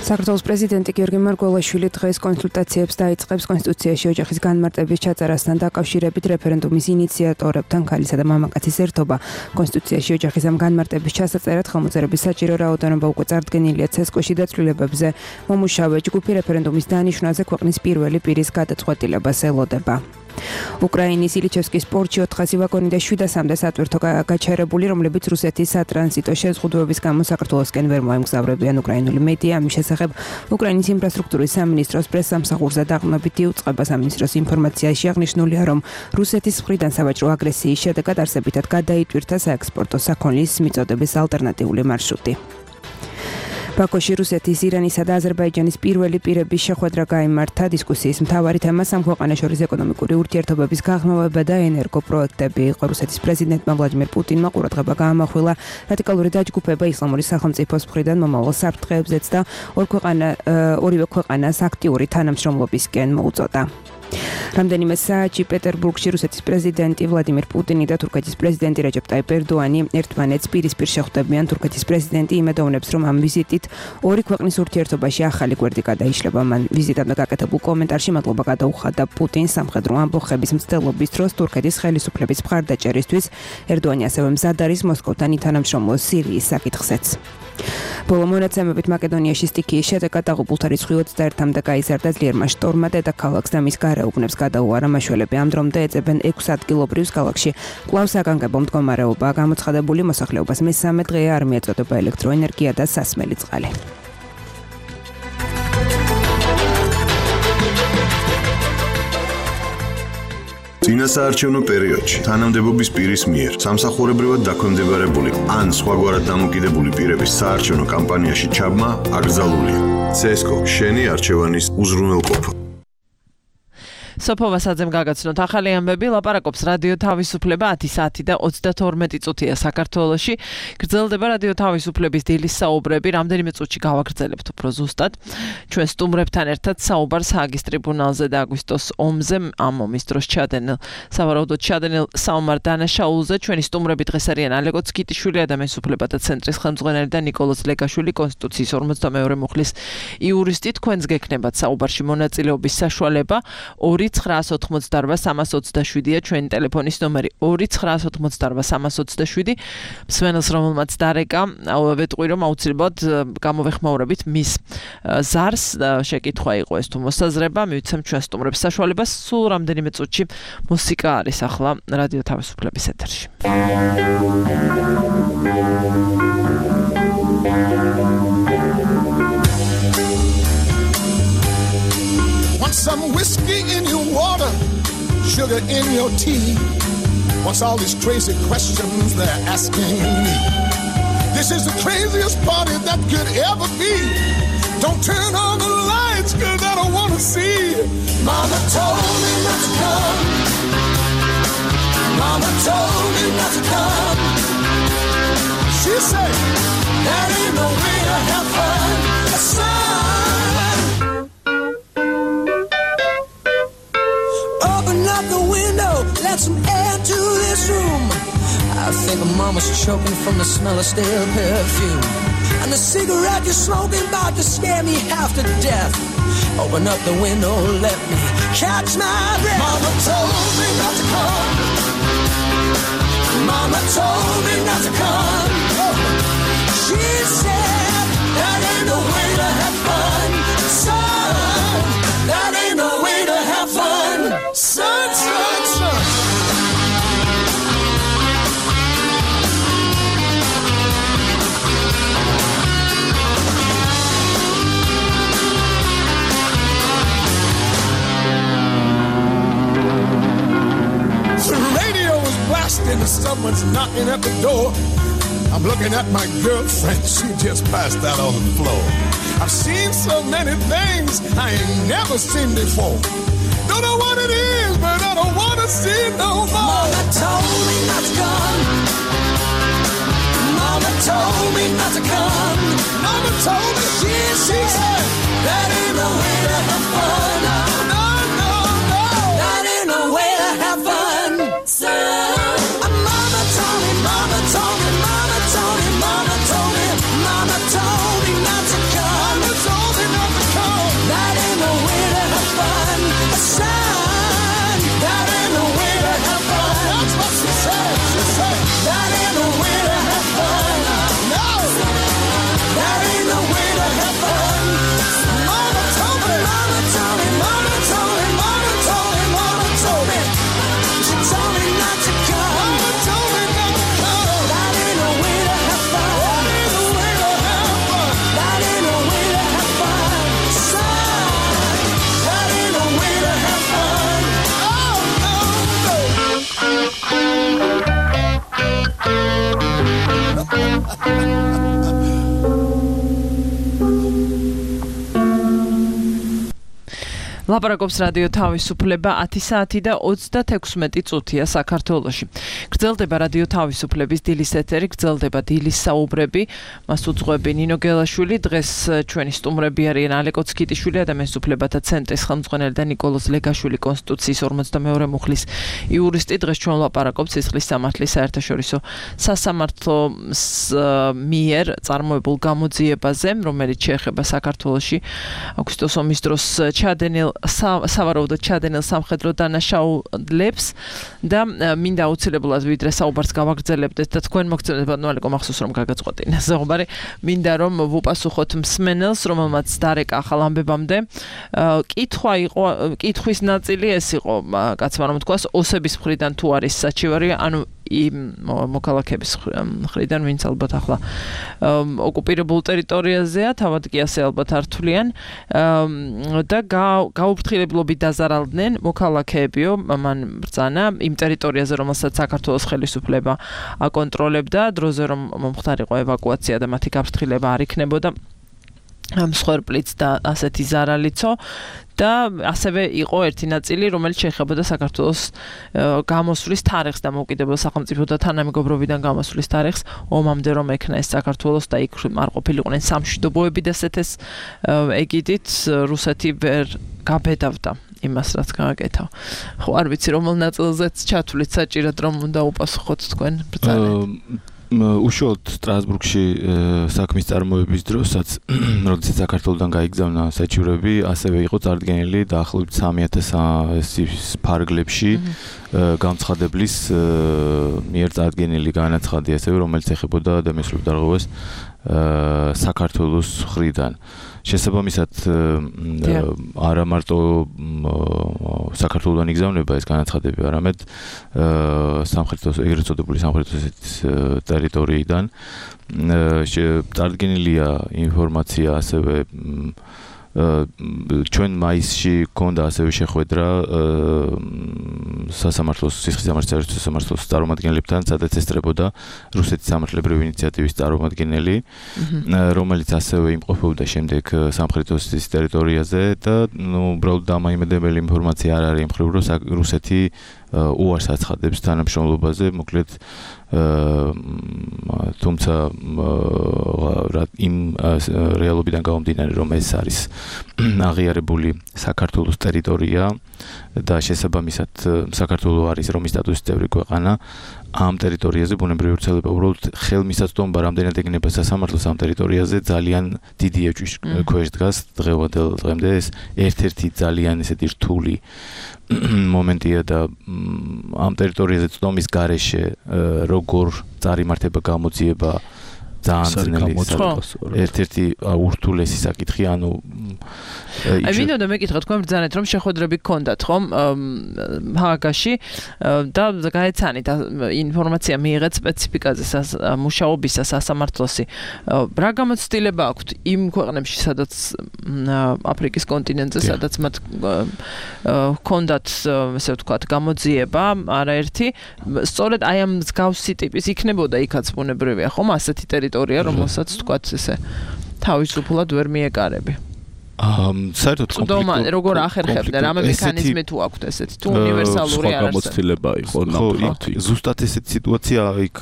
საქართველოს პრეზიდენტი გიორგი მარგველაშვილი დღეს კონსულტაციებს დაიწყებს კონსტიტუციაში ოჯახის განმარტების ჩაწერასთან დაკავშირებით რეფერენდუმის ინიციატორებთან ქალისა და მამაკაცის ერთობა კონსტიტუციაში ოჯახის ამ განმარტების ჩასაწერად ხელმოწერების საჭირო რაოდენობა უკვე წარდგენილია ცესკოში და ცვლილებებზე მომუშავე ჯგუფი რეფერენდუმის დანიშვნაზე ქვეყნის პირველი პირის გადაწყვეტილებას ელოდება. უკრაინის ილიჩევსკის პორტში ოთხასი ვაგონი და შვიდასამდე სატვირთო გაჩერებული, რომლებიც რუსეთის სატრანზიტო შეზღუდვების გამო საქართველოსკენ ვერ მოემგზავრებიან უკრაინული მედია ამის შესახებ უკრაინის ინფრასტრუქტურის სამინისტროს პრესსამსახურზე დაყრდნობით იუწყება სამინისტროს ინფორმაციაში აღნიშნულია, რომ რუსეთის მხრიდან სავაჭრო აგრესიის შედეგად არსებითად გადაიტვირთა საექსპორტო საქონლის მიწოდების ალტერნატიული მარშრუტი. ბაქოში რუსეთის, ირანისა და აზერბაიჯანის პირველი პირების შეხვედრა გაიმართა. დისკუსიის მთავარი თემა სამქვეყანოს შორის ეკონომიკური ურთიერთობების გაღრმავება და ენერგოპროექტები იყო. რუსეთის პრეზიდენტმა ვლადიმერ პუტინმა ყურადღება გაამახვილა რადიკალური დაჯგუფება ისლამური სახელმწიფოს მხრიდან მომავალ საფრთხეებზეც და ორივე ქვეყანას აქტიური თანამშრომლობისკენ მოუწოდა. რამდენიმე საათში პეტერბურგში რუსეთის პრეზიდენტი ვლადიმერ პუტინი და თურქეთის პრეზიდენტი რეჯეპ ტაიპ ერდოანი ერთმანეთს პირისპირ შეხვდებიან. თურქეთის პრეზიდენტი იმედოვნებს, რომ ამ ვიზიტით ორი ქვეყნის ურთიერთობაში ახალი გვერდი გადაიშლება. მან ვიზიტამდე გაკეთებულ კომენტარში მადლობა გადაუხადა პუტინს სამხედრო ამბოხების მცდელობის დროს თურქეთის ხელისუფლების მხარდაჭერისთვის. ერდოანი ასევე მზად არის მოსკოვთან ითანამშრომლოს სირიის საკითხზეც. ბოლო მონაცემებით მაკედონიაში სტიქიის შედეგად დაღუპულთა რიცხვი ოცდაერთამდე გაიზარდა. ძლიერმა შტორმმა დედაქალაქს და მის გარეუბნებს გადაუარა. მაშველები ამ დრომდე ეძებენ ექვს ადგილობრივს ქალაქში. კვლავ საგანგებო მდგომარეობაა გამოცხადებული. მოსახლეობას მესამე დღე არ მიეწოდება ელექტროენერგია და სასმელი წყალი. წინასაარჩევნო პერიოდში თანამდებობის პირის მიერ სამსახურებრივად დაქვემდებარებული ან სხვაგვარად დამოკიდებული პირების საარჩევნო კამპანიაში ჩაბმა აკრძალულია. ცესკო შენი არჩევანის უზრუნველყოფა. სოფო ვასაძემ გაგაცნოთ ახალი ამბები, ლაპარაკობს რადიო თავისუფლება ათი საათი და ოცდათორმეტი წუთია საქართველოში. გრძელდება რადიო თავისუფლების დილის საუბრები, რამდენიმე წუთში გავაგრძელებთ უფრო ზუსტად. ჩვენ სტუმრებთან ერთად საუბარს ჰააგის ტრიბუნალზე და აგვისტოს ომზე, ამ ომის დროს ჩადენილ, სავარაუდოდ ჩადენილ საომარ დანაშაულზე. ჩვენი სტუმრები დღეს არიან ალეკო ცკიტიშვილი, ადამიანის უფლებათა ცენტრის ხელმძღვანელი და ნიკოლოზ ლეგაშვილი, კონსტიტუციის ორმოცდამეორე მუხლის იურისტი. თქვენს გექნებათ საუბარში მონაწილეობის საშუალება. ორი ცხრაას ოთხმოცდაარბა სამას ოცდაშვიდია ჩვენი ტელეფონის ნომერი ორი ცხრაას ოთხმოცდაარბა სამას ოცდაშვიდი. მსმენელს რომელმაც დარეკა, ვეტყვი რომ აუცილებლად გამოვეხმაურებით მის ზარს. შეკითხვა იყო ეს თუ მოსაზრება, მივიცემ ჩვენ სტუმრებს საშუალებას. სულ რამდენიმე წუთში მუსიკა არის ახლა რადიო თავისუფლების ეთერში. Want some whiskey in your water, sugar in your tea. What's all these crazy questions they're asking me? This is the craziest party that could ever be. Don't turn on the lights, cause I don't wanna see. Mama told me not to come. Mama told me not to come. She said, that ain't no way to have fun. Son. Open up the window, let some air to this room. I think mama's choking from the smell of stale perfume. And the cigarette you're smoking about to scare me half to death. Open up the window, let me catch my breath. Mama told me not to come. Mama told me not to come. She said that ain't no way to have fun. Son, that ain't no way to have fun. Son, son, son. The radio was blasting and someone's knocking at the door. I'm looking at my girlfriend, she just passed out on the floor. I've seen so many things I ain't never seen before. Don't know what it is, but I don't want to see it no more. Mama told me not to come. Mama told me not to come. Mama told me she, she said that ain't no way to have fun. No, no, no, no. That ain't no way to have fun. So, Mama told me, Mama told me, Mama told me, Mama told me, Mama told me not to come. Mama told me not to come. That ain't no way to have fun. Son, that ain't no way to have fun. That's what she said. She said that ain't no way to have fun. No, that ain't no way to have fun. Mama told me, Mama told me, Mama told me, Mama told me, Mama told me. She told me not to come. Mama told me not to come. That ain't no way to have fun. That ain't no way to have fun. That ain't no way to have fun. Son, that ain't no way to have fun. Oh, no, no. ლაპარაკობს რადიო თავისუფლება ათი საათი და ოცდათექვსმეტი წუთია საქართველოში. გრძელდება რადიო თავისუფლების დილის ეთერი, გრძელდება დილის საუბრები. მას უძღვები ნინო გელაშვილი, დღეს ჩვენი სტუმრები არიან ალე კოცკიტიშვილი, ადამიანის უფლებათა ცენტრის ხელმძღვანელი და ნიკოლოზ ლეგაშვილი, კონსტიტუციის ორმოცდამეორე მუხლის იურისტი. დღეს ჩვენ ლაპარაკობთ სისხლის სამართლის საერთაშორისო სასამართლოს მიერ წარმოებულ გამოძიებაზე, რომელიც შეეხება საქართველოში აგვისტოს ომის დროს ჩადენილ სავარაუდოდ ჩადენილ სამხედრო დანაშაულებს და მინდა აუცილებლად ვიდრე საუბარს გავაგრძელებდეთ და თქვენ მოგწონებთ ნვალეკო მახსოვს რომ გაგაწყვეტინე საუბარი მინდა რომ ვუპასუხოთ მსმენელს რომელმაც დარეკა ახალ ამბებამდე კითხვა იყო კითხვის ნაწილი ეს იყო კაცმა რომ თქვას ოსების მხრიდან თუ არის საჩივარი ანუ იმ მოქალაქეების მხრიდან ვინც ალბათ ახლა ოკუპირებულ ტერიტორიაზეა თავად კი ასე ალბათ ართულიან და გაუფრთხილებლობით დაზარალდნენ მოქალაქეებიო მან ბრძანა იმ ტერიტორიაზე რომელსაც საქართველოს ხელისუფლება აკონტროლებდა დროზე რომ მომხდარიყო ევაკუაცია და მათი გაფრთხილება არ იქნებოდა მსხვერპლიც და ასეთი ზარალიცო და ასევე იყო ერთი ნაწილი რომელიც შეეხებოდა საქართველოს გამოსვლის თარიღს და მოკიდებელ სახელმწიფო და თანამეგობრობიდან გამოსვლის თარიღს ომამდე რომ ექნა ეს საქართველოს და იქ არ ყოფილიყვნენ სამშვიდობოები და ესეთეს ეგიდით რუსეთი ვერ გაბედავდა იმას რაც გააკეთა. ხო არ ვიცი რომელ ნაწილზეც ჩათვლით საჭიროდ რომ უნდა უპასუხოთ თქვენ ბრძანეთ. უშუალოდ სტრასბურგში საქმის წარმოების დროსაც როდესაც საქართველოსთან გაიგზავნა საჩივრები ასევე იყო წარდგენილი დაახლოებით სამი ათას ფარგლებში განცხადებლის მიერ წარდგენილი განაცხადი ასევე რომელიც ეხებოდა ადამიანის დარღვევას საქართველოს მხრიდან შესაბამისად არა მარტო საქართველოსთან იგზავნება ეს განაცხადები, არამედ სამხრეთის ეგრეთ წოდებული სამხრეთის ტერიტორიიდან წარდგენილია ინფორმაცია ასევე ჩვენ მაისში გქონდა ასევე შეხვედრა სასამართლოს სისხლის სამართლის სასამართლოს წარმომადგენლებთან, სადაც ესწრებოდა რუსეთის სამართლებრივი ინიციატივის წარმომადგენელი, რომელიც ასევე იმყოფებოდა შემდეგ სამხრეთის ტერიტორიაზე და ნუ უბრალოდ დამაიმედებელი ინფორმაცია არ არის იმ მხრივ, რომ რუსეთი უარს აცხადებს თანამშრომლობაზე, მოკლედ თუმცა იმ რეალობიდან გამომდინარე, რომ ეს არის აღიარებული საქართველოს ტერიტორია და შესაბამისად საქართველო არის რომის სტატუსის წევრი ქვეყანა, ამ ტერიტორიაზე ბუნებრივი ვრცელება უბრალოდ ხელმისაწვდომობა რამდენად ეგნება სასამართლოს ამ ტერიტორიაზე ძალიან დიდი ეჭვის ქვეშ დგას დღევანდელ დღემდე ეს ერთ-ერთი ძალიან ესეთი რთული მომენტია და ამ ტერიტორიაზე წვდომის გარეშე როგორ წარიმართება გამოძიება ძალიან ძნელი ერთ-ერთი ურთულესი საკითხი, ანუ აი მინდოდა მეკითხა თქვენ ბრძანეთ რომ შეხვედრები გქონდათ ხომ ჰააგაში და გაეცანით ინფორმაცია მიიღეთ სპეციფიკაზე მუშაობისა სასამართლოსი რა გამოცდილება აქვთ იმ ქვეყნებში სადაც აფრიკის კონტინენტზე სადაც მათ ჰქონდათ ესე ვთქვათ გამოძიება არაერთი სწორედ აი ამ მსგავსი ტიპის იქნებოდა იქაც ბუნებრივია ხომ ასეთი ტერიტორია რომელსაც ვთქვათ ესე თავისუფლად ვერ მიეკარები ამ საერთოდ კონფლიქტი როგორ ახერხებდა რამე მექანიზმი თუ აქვთ ესეთი თუ უნივერსალური არ არის გამოცდილება იყო ნამდვილად ზუსტად ესეთი სიტუაცია იქ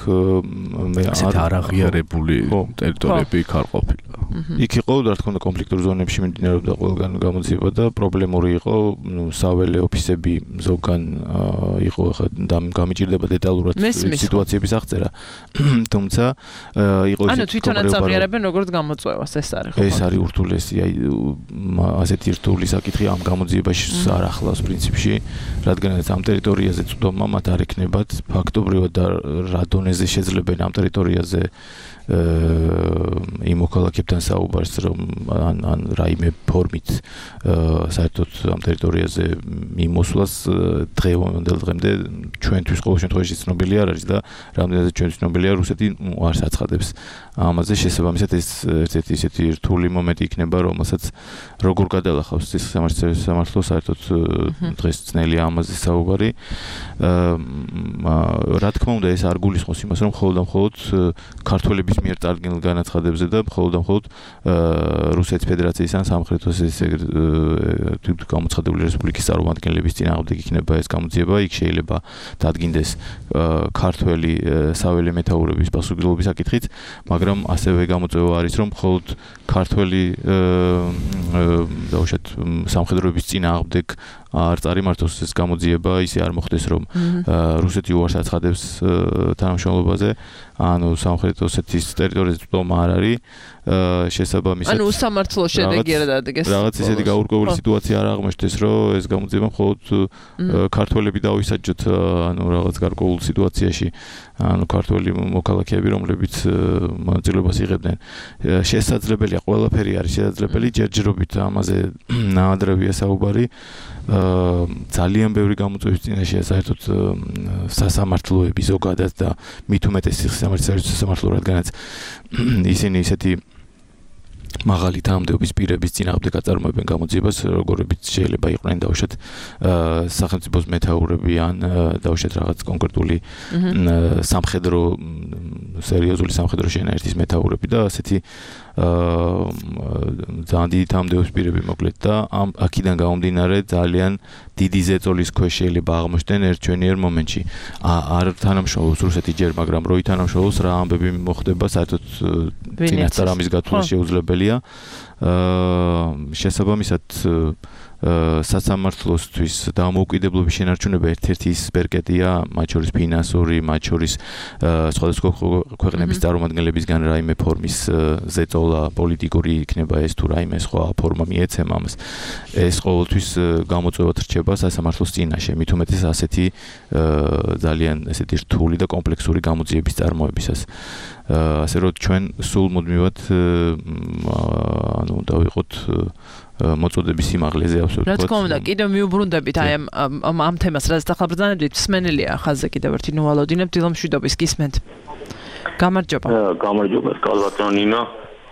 მე არ აღიარებული ტერიტორიები იქ არ ყოფილა იქ იყო რა თქმა უნდა კონფლიქტურ ზონებში მიმდინარეობდა ყველგან გამოძიება და პრობლემური იყო ნუ საველე ოფისები ზოგან იყო ხა გამიჭირდება დეტალურად სიტუაციების აღწერა თუმცა იყო ანუ თვითონაც აღიარებენ როგორც გამოწვევას ეს არის ხო ეს არის ურთულესი აი ასეთი რთული საკითხი ამ გამოძიებაში არ ახლავს პრინციპში, რადგანაც ამ ტერიტორიაზე წვდომა მათ არ ექნებათ ფაქტობრივად და რა დონეზე შეძლებენ ამ ტერიტორიაზე იმ მოქალაქეებთან საუბარს, რომ ან ან რაიმე ფორმით საერთოდ ამ ტერიტორიაზე მიმოსვლას დღევანდელ დღემდე ჩვენთვის ყოველ შემთხვევაში ცნობილი არ არის და რამდენადაც ჩვენთვის ცნობილია რუსეთი არ საცხადებს ამაზე შესაბამისად ეს ერთ-ერთი ისეთი რთული მომენტი იქნება, რომელსაც როგორ გადალახავს ეს სამართლო საერთოდ დღეს ძნელია ამაზე საუბარი. რა თქმა უნდა ეს არ გულისხმობს იმას, რომ მხოლოდ და მხოლოდ ქართველების მიერ წარდგენილ განაცხადებებზე და მხოლოდ და მხოლოდ რუსეთის ფედერაციის ან სამხრეთის გამოცხადებული რესპუბლიკის წარმომადგენლების წინააღმდეგ იქნება ეს გამოძიება, იქ შეიძლება დადგინდეს ქართველი საველე მეთაურების პასუხისმგებლობის საკითხით, მაგრამ ასევე გამოწვევა არის, რომ მხოლოდ ქართველი დაუშვათ სამხედროების წინააღმდეგ არ წარიმართოს ეს გამოძიება, ისე არ მოხდეს, რომ რუსეთი უარს აცხადებს თანამშრომლობაზე, ანუ სამხრეთ ოსეთის ტერიტორიაზე წვდომა არ არის, შესაბამისად ანუ სამართლო შედეგი არ დადგეს. რაღაც ისეთი გაურკვეველი სიტუაცია არ აღმოჩნდეს, რომ ეს გამოძიება მხოლოდ ქართველები დავისაჯოთ, ანუ რაღაც გარკვეულ სიტუაციაში, ანუ ქართველი მოქალაქეები, რომლებიც მონაწილეობას იღებდნენ. შესაძლებელია, ყველაფერი არის შესაძლებელი, ჯერჯერობით ამაზე ნაადრევია საუბარი. ძალიან ბევრი გამოწვევის წინაშეა საერთოდ სასამართლოები ზოგადად და მით უმეტეს სასამართლო, რადგანაც ისინი ისეთი მაღალი თანამდებობის პირების წინააღმდეგ აწარმოებენ გამოძიებას, როგორებიც შეიძლება იყვნენ დაუშვათ სახელმწიფოს მეთაურები ან დაუშვათ რაღაც კონკრეტული სამხედრო სერიოზული სამხედრო შენაერთის მეთაურები და ასეთი ძალიან დიდი თანამდებობის პირები მოკლედ და ამ აქედან გამომდინარე ძალიან დიდი ზეწოლის ქვეშ შეიძლება აღმოჩნდნენ ერთჩვენიერ მომენტში. არ თანამშრომლობს რუსეთი ჯერ, მაგრამ რო ითანამშრომლობს რა ამბები მოხდება, საერთოდ წინასწარ ამის გათვლა შეუძლებელია. შესაბამისად სასამართლოსთვის დამოუკიდებლობის შენარჩუნება ერთ-ერთი ის ბერკეტია, მათ შორის ფინანსური, მათ შორის სხვადასხვა ქვეყნების წარმომადგენლებისგან რაიმე ფორმის ზეწოლა პოლიტიკური იქნება ეს თუ რაიმე სხვა ფორმა მიეცემა ამას. ეს ყოველთვის გამოწვევად რჩება სასამართლოს წინაშე, მით უმეტეს ასეთი ძალიან ესეთი რთული და კომპლექსური გამოძიების წარმოებისას. ასე რომ ჩვენ სულ მუდმივად ანუ დავიყოთ მოწოდების სიმაღლეზე ავსებთ. რა თქმა უნდა, კიდევ მიუბრუნდებით აი ამ ამ თემას, რაც დახალბრძანებდით, სმენელია ხაზზე კიდევ ერთი ნუვალოდინებ დილომშვიდობის გისმენთ. გამარჯობა. გამარჯობა, კალბატონინა.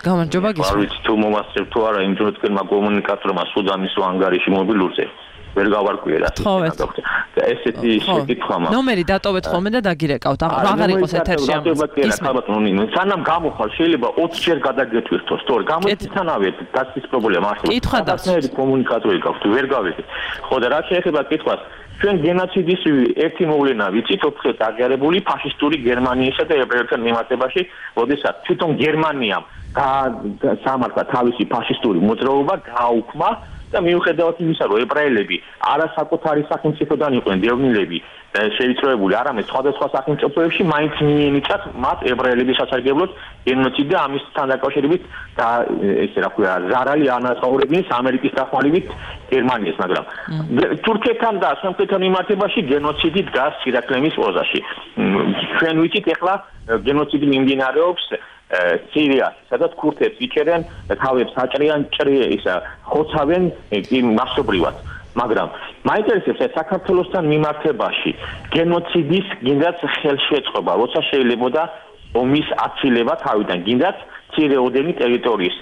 გამარჯობა გისმენთ. არ ვიცი თუ მომასწრებ თუ არა, იმ დროს თქვენმა კომუნიკატორმა სუდანის ანგარიში მობილურზე. ვერ გავარკვიე რა ესეთი შეკითხვა მაქვს ნომერი დატოვეთ ხოლმე და დაგირეკავთ აღარ იყოს ეთერში ამას სანამ გამოხარ შეიძლება ოცი ჯერ გადაგეთვირთო სწორი გამოიცანავე დასის პრობლემა არსებობს კითხვა და კომუნიკატორი გაქვთ ვერ გავიგე ხო და რა შეეხება კითხვას ჩვენ გენოციდის ერთი მოვლენა ვიცით ოთხი დაგიარებული ფაშისტური გერმანიისა და ებრაელთა მიმართებაში როდესაც თვითონ გერმანიამ სამართლა თავისი ფაშისტური მოძრაობა გააუქმა და მიუხედავად იმისა რომ ებრაელები არასაკუთარი სახელმწიფოდან იყვნენ დევნილები შეიწროებული არამედ სხვადასხვა სახელმწიფოებში მაინც მიენიჭათ მათ ებრაელების სასარგებლოდ გენოციდი და ამისთან დაკავშირებით და ესე რა ქვია ზარალი ანაწაურებინის ამერიკის დახმარებით გერმანიას მაგრამ თურქეთთან და სამხრეთთან მიმართებაში გენოციდი დგას ირაკლემის პოზაში ჩვენ ვიცით ეხლა გენოციდი მიმდინარეობს სირიაში, სადაც ქურთებს იჭერენ, თავებს აჭრიან, ისა ხოცავენ მასობრივად. მაგრამ მაინტერესებს საქართველოსთან მიმართებაში გენოციდის გინდაც ხელშეწყობა, როცა შეიძლებოდა ომის აცილება თავიდან, გინდაც ცირეოდენი ტერიტორიის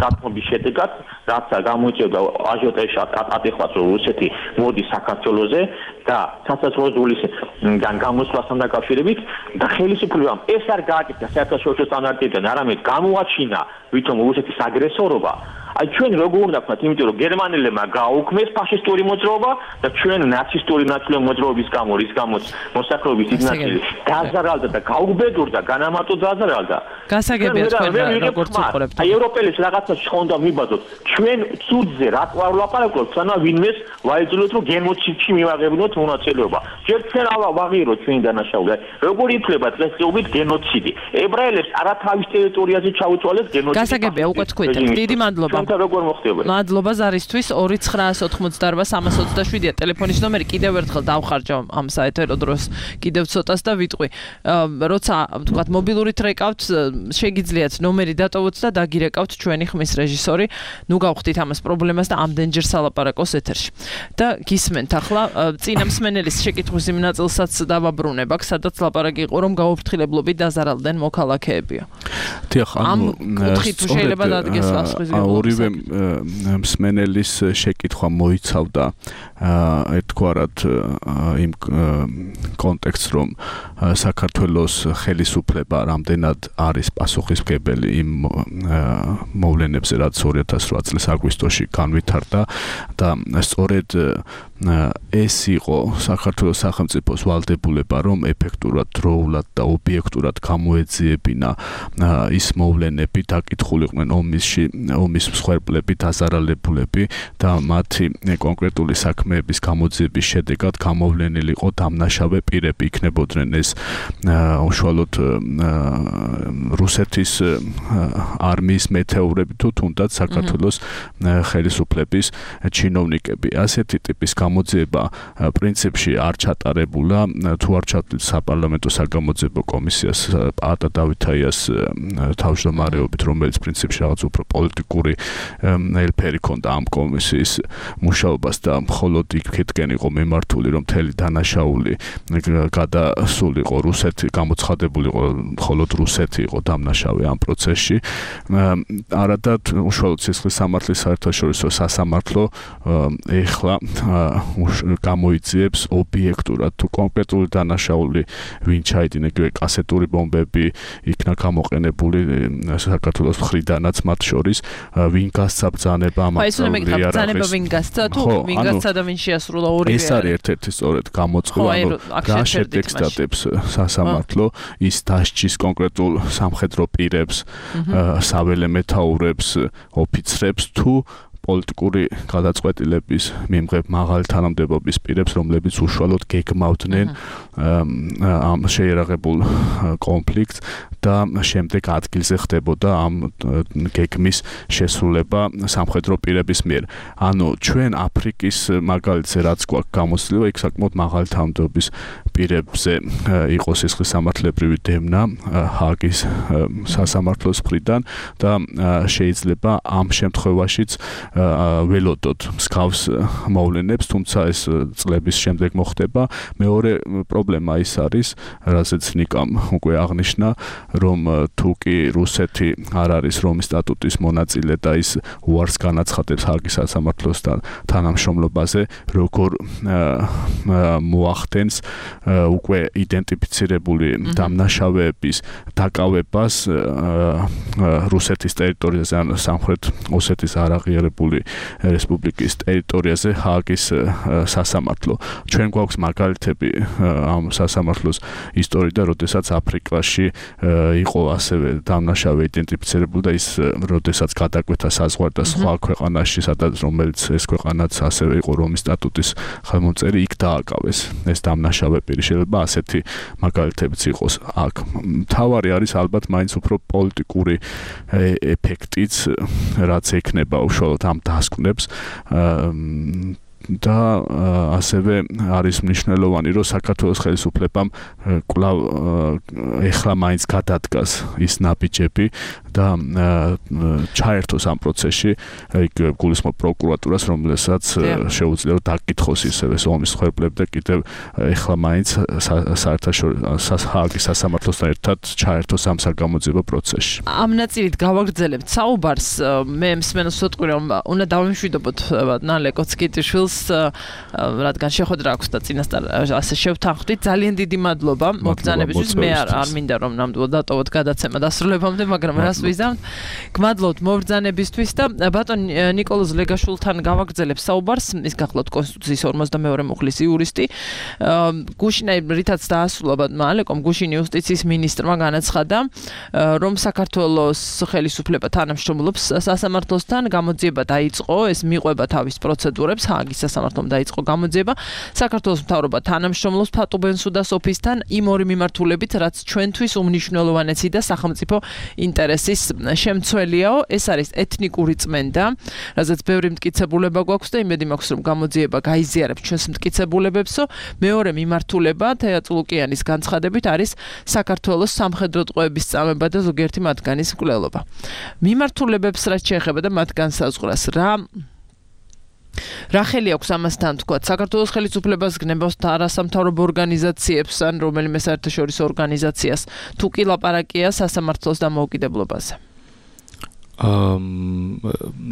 დათმობის შედეგად, რაც გამოიწვევდა აჟიოტაჟს ატეხված რომ რუსეთი მოდის საქართველოზე და სასაზღვრო ზოლისგან გამოსვლასთან დაკავშირებით და ხელისუფლებამ ეს არ გააკეთა საერთაშორისო სტანდარტებიდან, არამედ გამოაჩინა ვითომ რუსეთის აგრესორობა. აი ჩვენ როგორ უნდა ვქნათ, იმიტომ რომ გერმანელებმა გააუქმეს ფაშისტური მოძრაობა და ჩვენ ნაცისტური ნაციონალური მოძრაობის გამო რის გამოც მოსახლეობის დიდი ნაწილი დაზარალდა და გაუბედურდა, განამარტო დაზარალდა. გასაგებია თქვენ როგორც უყურებთ. აი ევროპელის რაღაცა შხონდა მიბაძოთ. ჩვენ ცუდზე რა ვლაპარაკობთ, სანამ ვინმეს ვაიძულოთ რომ გენოციდში მივაღებინოთ მონაწილეობა. ჯერ ჩვენ ავაღიროთ ჩვენი დანაშაული. როგორ ითვლება დღესდღეობით გენოციდი? ებრაელებს არათავის ტერიტორიაზე ჩაუწვალეს გენოციდი. გასაგებია უკვე თქვით. დიდი მადლობა. როგორ მოხდება? მადლობა ზარისთვის ორი ცხრა ოცდაოთხმოცდაარბა სამას ოცდაშვიდია ტელეფონის ნომერი კიდევ ერთხელ დავხარჯავ ამ საეთერო დროს კიდევ ცოტას და ვიტყვი. როცა თქვათ მობილურით რეკავთ შეგიძლიათ ნომერი დატოვოთ და დაგირეკავთ ჩვენი ხმის რეჟისორი. ნუ გავხდით ამას პრობლემას და ამდენჯერ სალაპარაკოს ეთერში. და გისმენთ ახლა წინა მსმენელის შეკითხვის იმ ნაწილსაც დავაბრუნებ აქ, სადაც ლაპარაკი იყო რომ გაუფრთხილებლობით დაზარალდნენ მოქალაქეებია. დიახ, ანუ კუთხით შეიძლება დადგეს ასხვის ორივე მსმენელის შეკითხვა მოიცავდა ერთგვარად იმ კონტექსტს რომ საქართველოს ხელისუფლება რამდენად არის პასუხისმგებელი იმ მოვლენებზე რაც ორი ათას რვა წლის აგვისტოში განვითარდა და სწორედ ეს იყო საქართველოს სახელმწიფოს ვალდებულება რომ ეფექტურად, დროულად და ობიექტურად გამოეძიებინა ის მოვლენები დაკითხულიყვნენ ომისში ომის მსხვერპლები, დაზარალებულები და მათი კონკრეტული საქმეების გამოძიების შედეგად გამოვლენილიყო დამნაშავე პირები იქნებოდნენ ეს უშუალოდ რუსეთის არმიის მეთეურები თუ თუნდაც საქართველოს ხელისუფლების ჩინოვნიკები. ასეთი ტიპის გამოძიება პრინციპში არ ჩატარებულა, თუ არ ჩატარდა საპარლამენტო საგამოძიებო კომისიას პაატა დავითაიას თავმჯდომარეობით, რომელიც პრინციპში რაღაც უფრო პოლიტიკური ელფერი ქონდა ამ კომისიის მუშაობას და მხოლოდ იქეთკენ იყო მიმართული რომ მთელი დანაშაული გადასულიყო რუსეთი, გამოცხადებულიყო მხოლოდ რუსეთი იყო დამნაშავე ამ პროცესში. არადა უშუალოდ სისხლის სამართლის საერთაშორისო სასამართლო ეხლა გამოიძიებს ობიექტურად თუ კონკრეტული დანაშაული ვინ ჩაიდინა, იგივე კასეტური ბომბები იქნა გამოყენებული საქართველოს მხრიდანაც მათ შორის ვინ გასცა ბრძანება ამ აკრძალულია რა ბრძანება ვინ გასცა თუ ვინ გასცა და ვინ შეასრულა ორივე ეს არის ერთ-ერთი სწორედ გამოწყობა რა შედეგს დადებს სასამართლო ის დასჯის კონკრეტულ სამხედრო პირებს საველე მეთაურებს ოფიცრებს თუ პოლიტიკური გადაწყვეტილების მიმღებ მაღალი თანამდებობის პირებს, რომლებიც უშუალოდ გეგმავდნენ ამ შეიარაღებულ კონფლიქტს და შემდეგ ადგილზე ხდებოდა ამ გეგმის შესრულება სამხედრო პირების მიერ. ანუ ჩვენ აფრიკის მაგალითზე რაც გვაქვს გამოცდილება, იქ საკმაოდ მაღალი თანამდებობის პირებზე იყო სისხლის სამართლებრივი დევნა ჰააგის სასამართლოს მხრიდან და შეიძლება ამ შემთხვევაშიც ველოდოთ მსგავს მოვლენებს, თუმცა ეს წლების შემდეგ მოხდება. მეორე პრობლემა ის არის, რასაც ნიკამ უკვე აღნიშნა, რომ თუ კი რუსეთი არ არის რომის სტატუტის მონაწილე და ის უარს განაცხადებს ჰაგის სასამართლოსთან თანამშრომლობაზე, როგორ მოახდენს უკვე იდენტიფიცირებული დამნაშავეების დაკავებას რუსეთის ტერიტორიაზე ან სამხრეთ ოსეთის არაღიარებული რესპუბლიკის ტერიტორიაზე ჰაგის სასამართლო. ჩვენ გვაქვს მაგალითები ამ სასამართლოს ისტორიიდან, როდესაც აფრიკაში იყო ასევე დამნაშავე იდენტიფიცირებული და ის როდესაც გადაკვეთა საზღვარდა სხვა ქვეყანაში, სადაც რომელიც ეს ქვეყანაც ასევე იყო რომის სტატუტის ხელმომწერი, იქ დააკავეს ეს დამნაშავე პირი. შეიძლება ასეთი მაგალითებიც იყოს აქ. მთავარი არის ალბათ მაინც უფრო პოლიტიკური ეფექტიც, რაც ექნება უშუალოდ ამ დასკვნებს და ასევე არის მნიშვნელოვანი, რომ საქართველოს ხელისუფლებამ კვლავ ეხლა მაინც გადადგას ის ნაბიჯები და ჩაერთოს ამ პროცესში, იქ გულისხმობ პროკურატურას, რომელსაც შეუძლია დაკითხოს ისევე ომის მსხვერპლები და კიდევ ეხლა მაინც საერთაშორისო ჰაგის სასამართლოსთან ერთად ჩაერთოს ამ საგამოძიებო პროცესში. ამ ნაწილით გავაგრძელებთ საუბარს. მე მსმენელს ვთქვი, რომ უნდა დავიმშვიდობოთ ლეკოცკიტიშვილს, რადგან შეხვედრა აქვს და წინასწარ ასე შევთანხმდით. ძალიან დიდი მადლობა მოგზანებისთვის. მე არ მინდა რომ ნამდვილად დატოვოთ გადაცემა დასრულებამდე, მაგრამ რას ვიზამთ. გმადლობთ მობრძანებისთვის და ბატონ ნიკოლოზ ლეგაშვილთან გავაგრძელებ საუბარს. ის გახლავთ კონსტიტუციის ორმოცდამეორე მუხლის იურისტი. გუშინი რითაც დაასრულა ბატონმა ალეკომ, გუშინი იუსტიციის მინისტრმა განაცხადა, რომ საქართველოს ხელისუფლება თანამშრომლობს სასამართლოსთან, გამოძიება დაიწყო, ეს მიყვება თავის პროცედურებს, ჰაგის სასამართლომ დაიწყო გამოძიება. საქართველოს მთავრობა თანამშრომლობს ფატუბენსუდას ოფისთან იმ ორი მიმართულებით, რაც ჩვენთვის უმნიშვნელოვანესი და სახელმწიფო ინტერესის შემცველიაო. ეს არის ეთნიკური წმენდა, რაზეც ბევრი მტკიცებულება გვაქვს და იმედი მაქვს, რომ გამოძიება გაიზიარებს ჩვენს მტკიცებულებებსო. მეორე მიმართულება თეატ ლუკიანის განცხადებით არის საქართველოს სამხედრო ტყვეების წამება და ზოგიერთი მათგანის მკვლელობა. მიმართულებებს რაც შეეხება და მათ განსაზღვრას, რა რა ხელი აქვს ამასთან თქვა? საქართველოს ხელისუფლებას გნებას არასამთავრობო ორგანიზაციებს ან რომელიმე საერთაშორისო ორგანიზაციას თუ კი ლაპარაკია სასამართლოს დამოუკიდებლობაზე?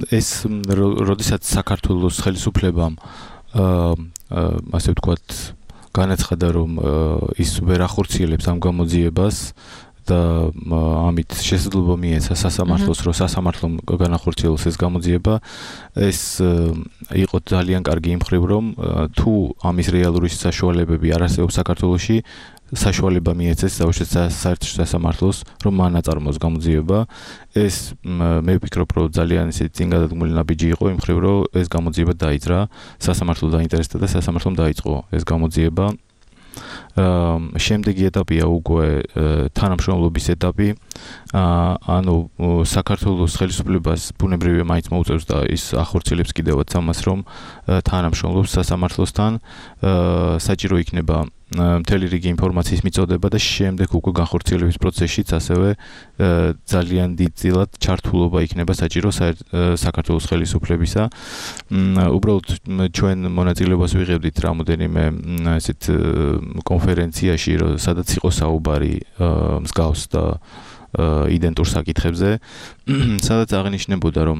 ეს როდესაც საქართველოს ხელისუფლებამ ასე ვთქვათ განაცხადა, რომ ის ვერ ახორციელებს ამ გამოძიებას და ამით შესაძლებლობა მიეცა სასამართლოს, რომ სასამართლომ განახორციელოს ეს გამოძიება, ეს იყო ძალიან კარგი იმ მხრივ, რომ თუ ამის რეალური საშუალებები არ არსებობს საქართველოში, საშუალება მიეცეს საერთაშორისო სასამართლოს, რომ მან აწარმოოს გამოძიება. ეს მე ვფიქრობ, რომ ძალიან ისეთი წინგადადგმული ნაბიჯი იყო იმ მხრივ, რომ ეს გამოძიება დაიძრა, სასამართლო დაინტერესდა და სასამართლომ დაიწყო ეს გამოძიება. შემდეგი ეტაპია უკვე თანამშრომლობის ეტაპი. ანუ საქართველოს ხელისუფლებას ბუნებრივია მაინც მოუწევს და ის ახორციელებს კიდევაც ამას, რომ თანამშრომლობს სასამართლოსთან. საჭირო იქნება მთელი რიგი ინფორმაციის მიწოდება და შემდეგ უკვე განხორციელების პროცესშიც ასევე ძალიან დიდწილად ჩართულობა იქნება საჭირო საქართველოს ხელისუფლებისა. უბრალოდ ჩვენ მონაწილეობას ვიღებდით რამოდენიმე ესეთ კონფერენციაში, სადაც იყო საუბარი მსგავს და იდენტურ საკითხებზე, სადაც აღნიშნებოდა, რომ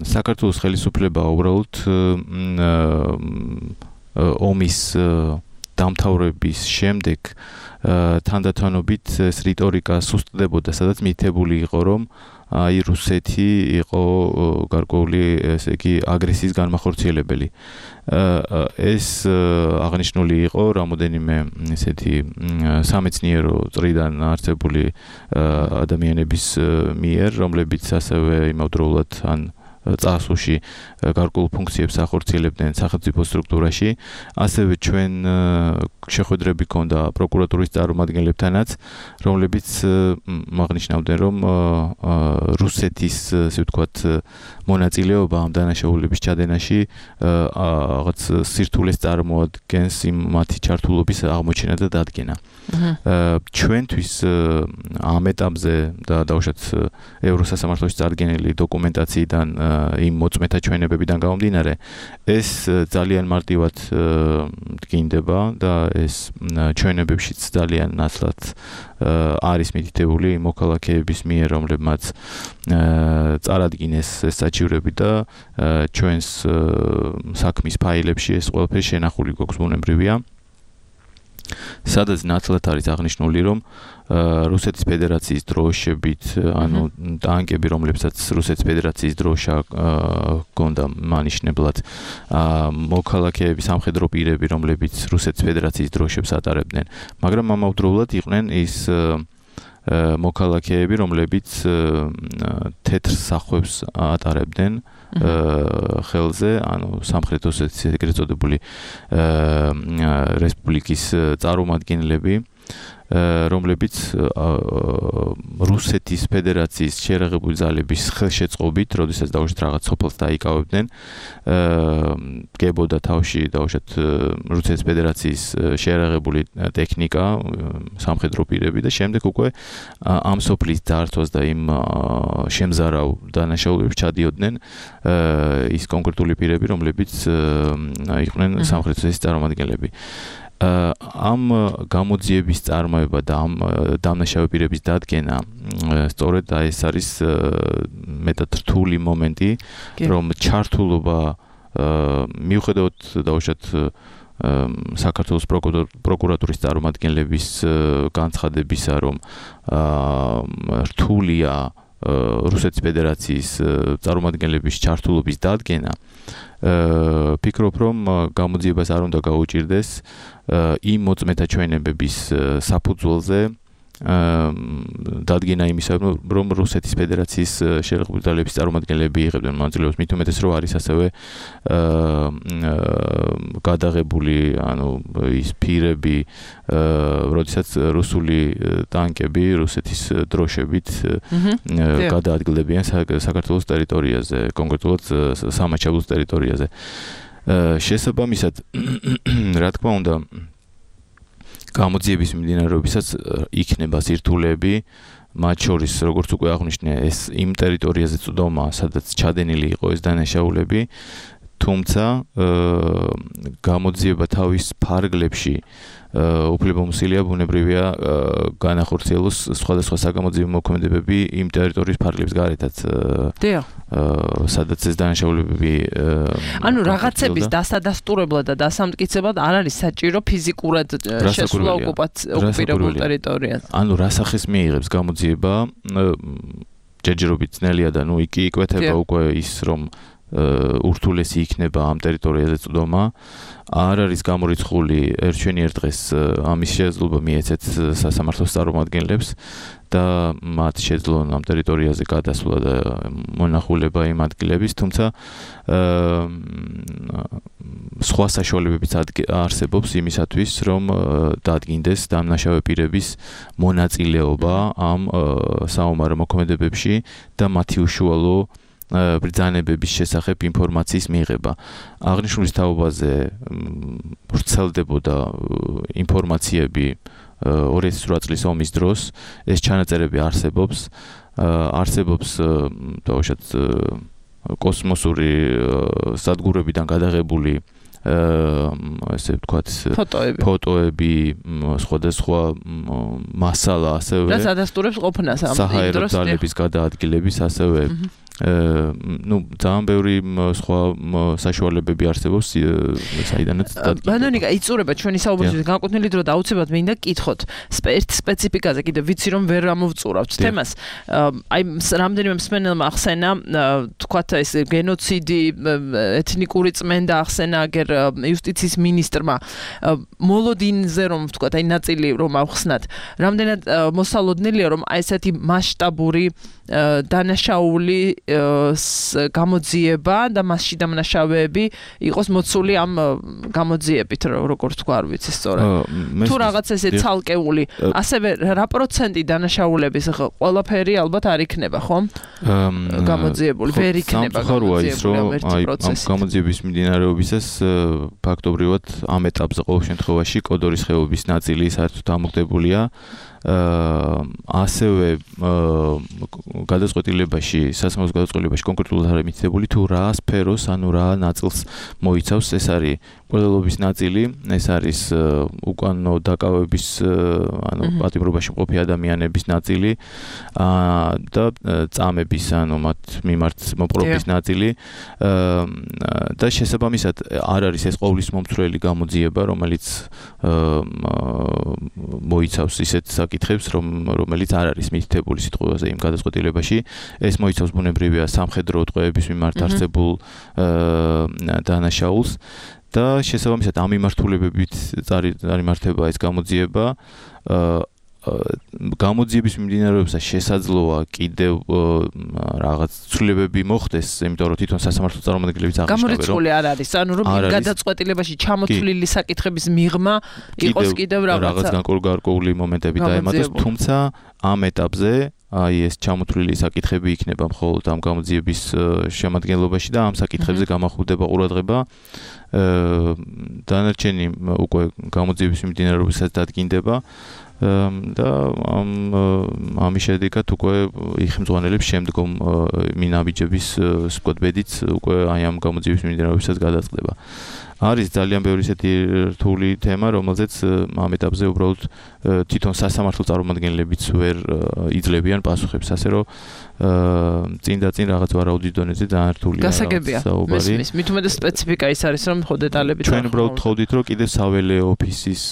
საქართველოს ხელისუფლება უბრალოდ ომის დამთავრების შემდეგ თანდათანობით ეს რიტორიკა სუსტდებოდა, სადაც მითებული იყო, რომ აი რუსეთი იყო გარკვეული ესე იგი აგრესიის განმახორციელებელი. ეს აღნიშნული იყო რამოდენიმე ესეთი სამეცნიერო წრიდან არსებული ადამიანების მიერ, რომლებიც ასევე იმავდროულად ან წარსულში გარკვეულ ფუნქციებს ახორციელებდნენ სახელმწიფო სტრუქტურაში. ასევე ჩვენ შეხვედრები ჰქონდა პროკურატურის წარმომადგენლებთანაც, რომლებიც აღნიშნავდნენ, რომ რუსეთის, ასე ვთქვათ, მონაწილეობა ამ დანაშაულების ჩადენაში რაღაც სირთულეს წარმოადგენს იმ მათი ჩართულობის აღმოჩენა და დადგენა. ჩვენთვის ამ ეტაპზე და დაუშვათ ევროსასამართლოში წარდგენილი დოკუმენტაციიდან იმ მოწმეთა ჩვენებებიდან გამომდინარე ეს ძალიან მარტივად დგინდება და ეს ჩვენებებშიც ძალიან ნაცვლად არის მითითებული მოქალაქეების მიერ, რომლებმაც წარადგინეს ეს საჩივრები და ჩვენს საქმის ფაილებში ეს ყველაფერი შენახული გვაქვს ბუნებრივია. სადაც ნაცვლად არის აღნიშნული, რომ რუსეთის ფედერაციის დროშებით, ანუ ტანკები, რომლებსაც რუსეთის ფედერაციის დროშა ჰქონდა მანიშნებლად, მოქალაქეები, სამხედრო პირები, რომლებიც რუსეთის ფედერაციის დროშებს ატარებდნენ, მაგრამ ამავდროულად იყვნენ ის მოქალაქეები, რომლებიც თეთრ სახვევს ატარებდნენ ხელზე, ანუ სამხრეთ ოსეთის ეგრეთ წოდებული რესპუბლიკის წარმომადგენლები, რომლებიც რუსეთის ფედერაციის შეერაღებული ძალების ხელშეწყობით, როდესაც დაუშვათ რაღაც სოფელს დაიკავებდნენ, გებოდა თავში დაუშვათ რუსეთის ფედერაციის შეერაღებული ტექნიკა, სამხედრო პირები და შემდეგ უკვე ამ სოფლის დართვას და იმ შემზარავ დანაშაულებს ჩადიოდნენ ის კონკრეტული პირები, რომლებიც იყვნენ სამხრეთ ოსეთის წარმომადგენლები. ამ გამოძიების წარმოება და ამ დამნაშავე პირების დადგენა სწორედ ეს არის მეტად რთული მომენტი, რომ ჩართულობა მიუხედავად დაუშვათ საქართველოს პროკურატურის წარმომადგენლების განცხადებისა, რომ რთულია რუსეთის ფედერაციის წარმომადგენლების ჩართულობის დადგენა, ფიქრობ, რომ გამოძიებას არ უნდა გაუჭირდეს იმ მოწმეთა ჩვენებების საფუძველზე დადგენა იმისა, რომ რუსეთის ფედერაციის შეერაღებული ძალების წარმომადგენლები იღებდნენ მონაწილეობას, მით უმეტეს, რომ არის ასევე გადაღებული, ანუ ის პირები, როდესაც რუსული ტანკები რუსეთის დროშებით გადაადგილდებიან საქართველოს ტერიტორიაზე, კონკრეტულად სამაჩაბლოს ტერიტორიაზე. შესაბამისად, რა თქმა უნდა, გამოძიების მიმდინარეობისას იქნება სირთულეები, მათ შორის, როგორც უკვე აღვნიშნე, ეს იმ ტერიტორიაზე წვდომა, სადაც ჩადენილი იყო ეს დანაშაულები, თუმცა გამოძიება თავის ფარგლებში უფლებამოსილია ბუნებრივია განახორციელოს სხვადასხვა საგამოძიებო მოქმედებები იმ ტერიტორიის ფარგლებს გარეთაც. დიახ. სადაც ეს დანაშაულებები ანუ რაღაცების დასადასტურებლად და დასამტკიცებლად არ არის საჭირო ფიზიკურად შესვლა ოკუპირებულ ტერიტორიაზე. ანუ რა სახის მიიღებს გამოძიება, ჯერჯერობით ძნელია და ნუ იქ იკვეთება უკვე ის, რომ ურთულესი იქნება ამ ტერიტორიაზე წვდომა. არ არის გამორიცხული ერთჩვენიერ დღეს ამის შესაძლებლობა მიეცეთ სასამართლოს წარმომადგენლებს და მათ შეძლონ ამ ტერიტორიაზე გადასვლა და მონახულება იმ ადგილების, თუმცა სხვა საშუალებებიც არსებობს იმისათვის, რომ დადგინდეს დამნაშავე პირების მონაწილეობა ამ საომარო მოქმედებებში და მათი უშუალო ბრძანებების შესახებ ინფორმაციის მიღება. აღნიშნულის თაობაზე ვრცელდებოდა ინფორმაციები ორი ათი ოცდაოთხ წლის ომის დროს, ეს ჩანაწერები არსებობს, არსებობს დაუშვათ კოსმოსური სადგურებიდან გადაღებული ესე ვთქვათ ფოტოები, სხვადასხვა მასალა ასევე რაც ადასტურებს ყოფნას ამ დროს საჰაერო ძალების გადაადგილების ასევე ну, ძალიან ბევრი სხვა საშუალებები არსებობს, საიდანაც დადგინდება. ბანონიკა, იწურება ჩვენი საუბრის განკუთვნილი დრო და აუცილებლად მინდა გკითხოთ ერთ სპეციფიკაზე, კიდევ ვიცი რომ ვერ ამოვწურავთ თემას. აი, რამდენიმე მსმენელმა ახსენა, თქვათ ეს გენოციდი, ეთნიკური წმენდა ახსენა, აგერ იუსტიციის მინისტრმა მოლოდინზე რომ ვთქვათ, აი ნაწილი რომ ავხსნათ. რამდენად მოსალოდნელია რომ აი ესეთი მასშტაბური დანაშაული გამოძიება და მასში დამნაშავეები იყოს მოცული ამ გამოძიებით, როგორც თქვა, არ ვიცი სწორად. თუ რაღაც ესე ცალკეული, ასევე რა პროცენტი დანაშაულების ყველაფერი ალბათ არ იქნება, ხომ? გამოძიებული, ვერ იქნება გამოძიებული ამ პროცესით. გამოძიების მიმდინარეობისას ფაქტობრივად ამ ეტაპზე ყოველ შემთხვევაში კოდორის ხეობის ნაწილი საერთოდ ამოქმედებულია. ასევე გადაწყვეტილებაში, სასამართლოს გადაწყვეტილებაში კონკრეტულად არის მითითებული თუ რა სფეროს, ანუ რა ნაწილს მოიცავს, ეს არის ყველობის ნაწილი, ეს არის უკანონო დაკავების, ანუ პატიმრობაში მყოფი ადამიანების ნაწილი და წამების, ანუ მათ მიმართ მოპყრობის ნაწილი და შესაბამისად არ არის ეს ყოვლის მომცვლელი გამოძიება, რომელიც მოიცავს ისეთ საკითხებს, რომ რომელიც არ არის მითითებული სიტყვაზე იმ გადაწყვეტილებაში. ეს მოიცავს ბუნებრივია სამხედრო უტყუების მიმართ არსებულ დანაშაულს და შესაბამისად ამ მიმართულებებით წარიმართება ეს გამოძიება. გამოძიების მიმდინარეობისას შესაძლოა კიდევ რაღაც ცვლილებები მოხდეს, იმიტომ რომ თვითონ სასამართლო წარმომადგენლებიც აღნიშნავენ, რომ გამორიცხული არ არის, ანუ რომ გადაწყვეტილებაში ჩამოთვლილი საკითხების მიღმა იყოს კიდევ რაღაც განკარგული მომენტები დაემატოს, თუმცა ამ ეტაპზე აი ეს ჩამოთვლილი საკითხები იქნება მხოლოდ ამ გამოძიების შემადგენლობაში და ამ საკითხებზე გამახვილდება ყურადღება. დანარჩენი უკვე გამოძიების მიმდინარეობისას დადგინდება და ამ ამის შედეგად უკვე იხმძღვანელებს შემდგომ მინაბიჯების სკვადბედიც უკვე აი ამ გამოძიების მიმდინარეობისას გადაწყდება. არის ძალიან ბევრი ისეთი რთული თემა, რომელზეც ამ ეტაპზე უბრალოდ თვითონ სასამართლო წარმომადგენლებიც ვერ იძლევიან პასუხებს, ასე რომ წინ და წინ რაღაც ვარაუდის დონეზე ძალიან რთულია. გასაგებია. მესმის, მით უმეტეს სპეციფიკა ის არის, რომ ხო დეტალები ჩვენ უბრალოდ ვთხოვდით, რომ კიდევ საველე ოფისის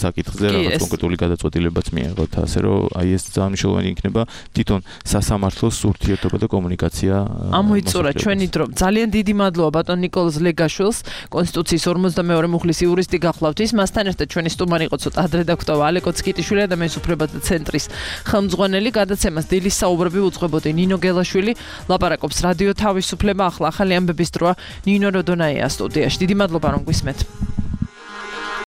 საკითხზე რაღაც კონკრეტული გადაწყვეტილებაც მიიღოთ, ასე რომ აი ეს ძალიან მნიშვნელოვანი იქნება თვითონ სასამართლოს ურთიერთობა და კომუნიკაცია. ამოიწურა ჩვენი დრო. ძალიან დიდი მადლობა ბატონ ნიკოლოზ ლეგაშვილს, კონსტიტუციის ორმოცდამეორე მუხლის იურისტი გახლავთ ის. მასთან ერთად ჩვენი სტუმარი იყო ცოტა ადრედაქტოვა ალეკო ცკიტიშვილი, ადამიანის უფლებათა ცენტრის ხელმძღვანელი. გადაცემას დილის საუბრები უძღვებოდი ნინო გელაშვილი, ლაპარაკობს რადიო თავისუფლება. ახლა ახალი ამბების დროა, ნინო როდონაია სტუდიაში. დიდი მადლობა რომ გვისმენთ.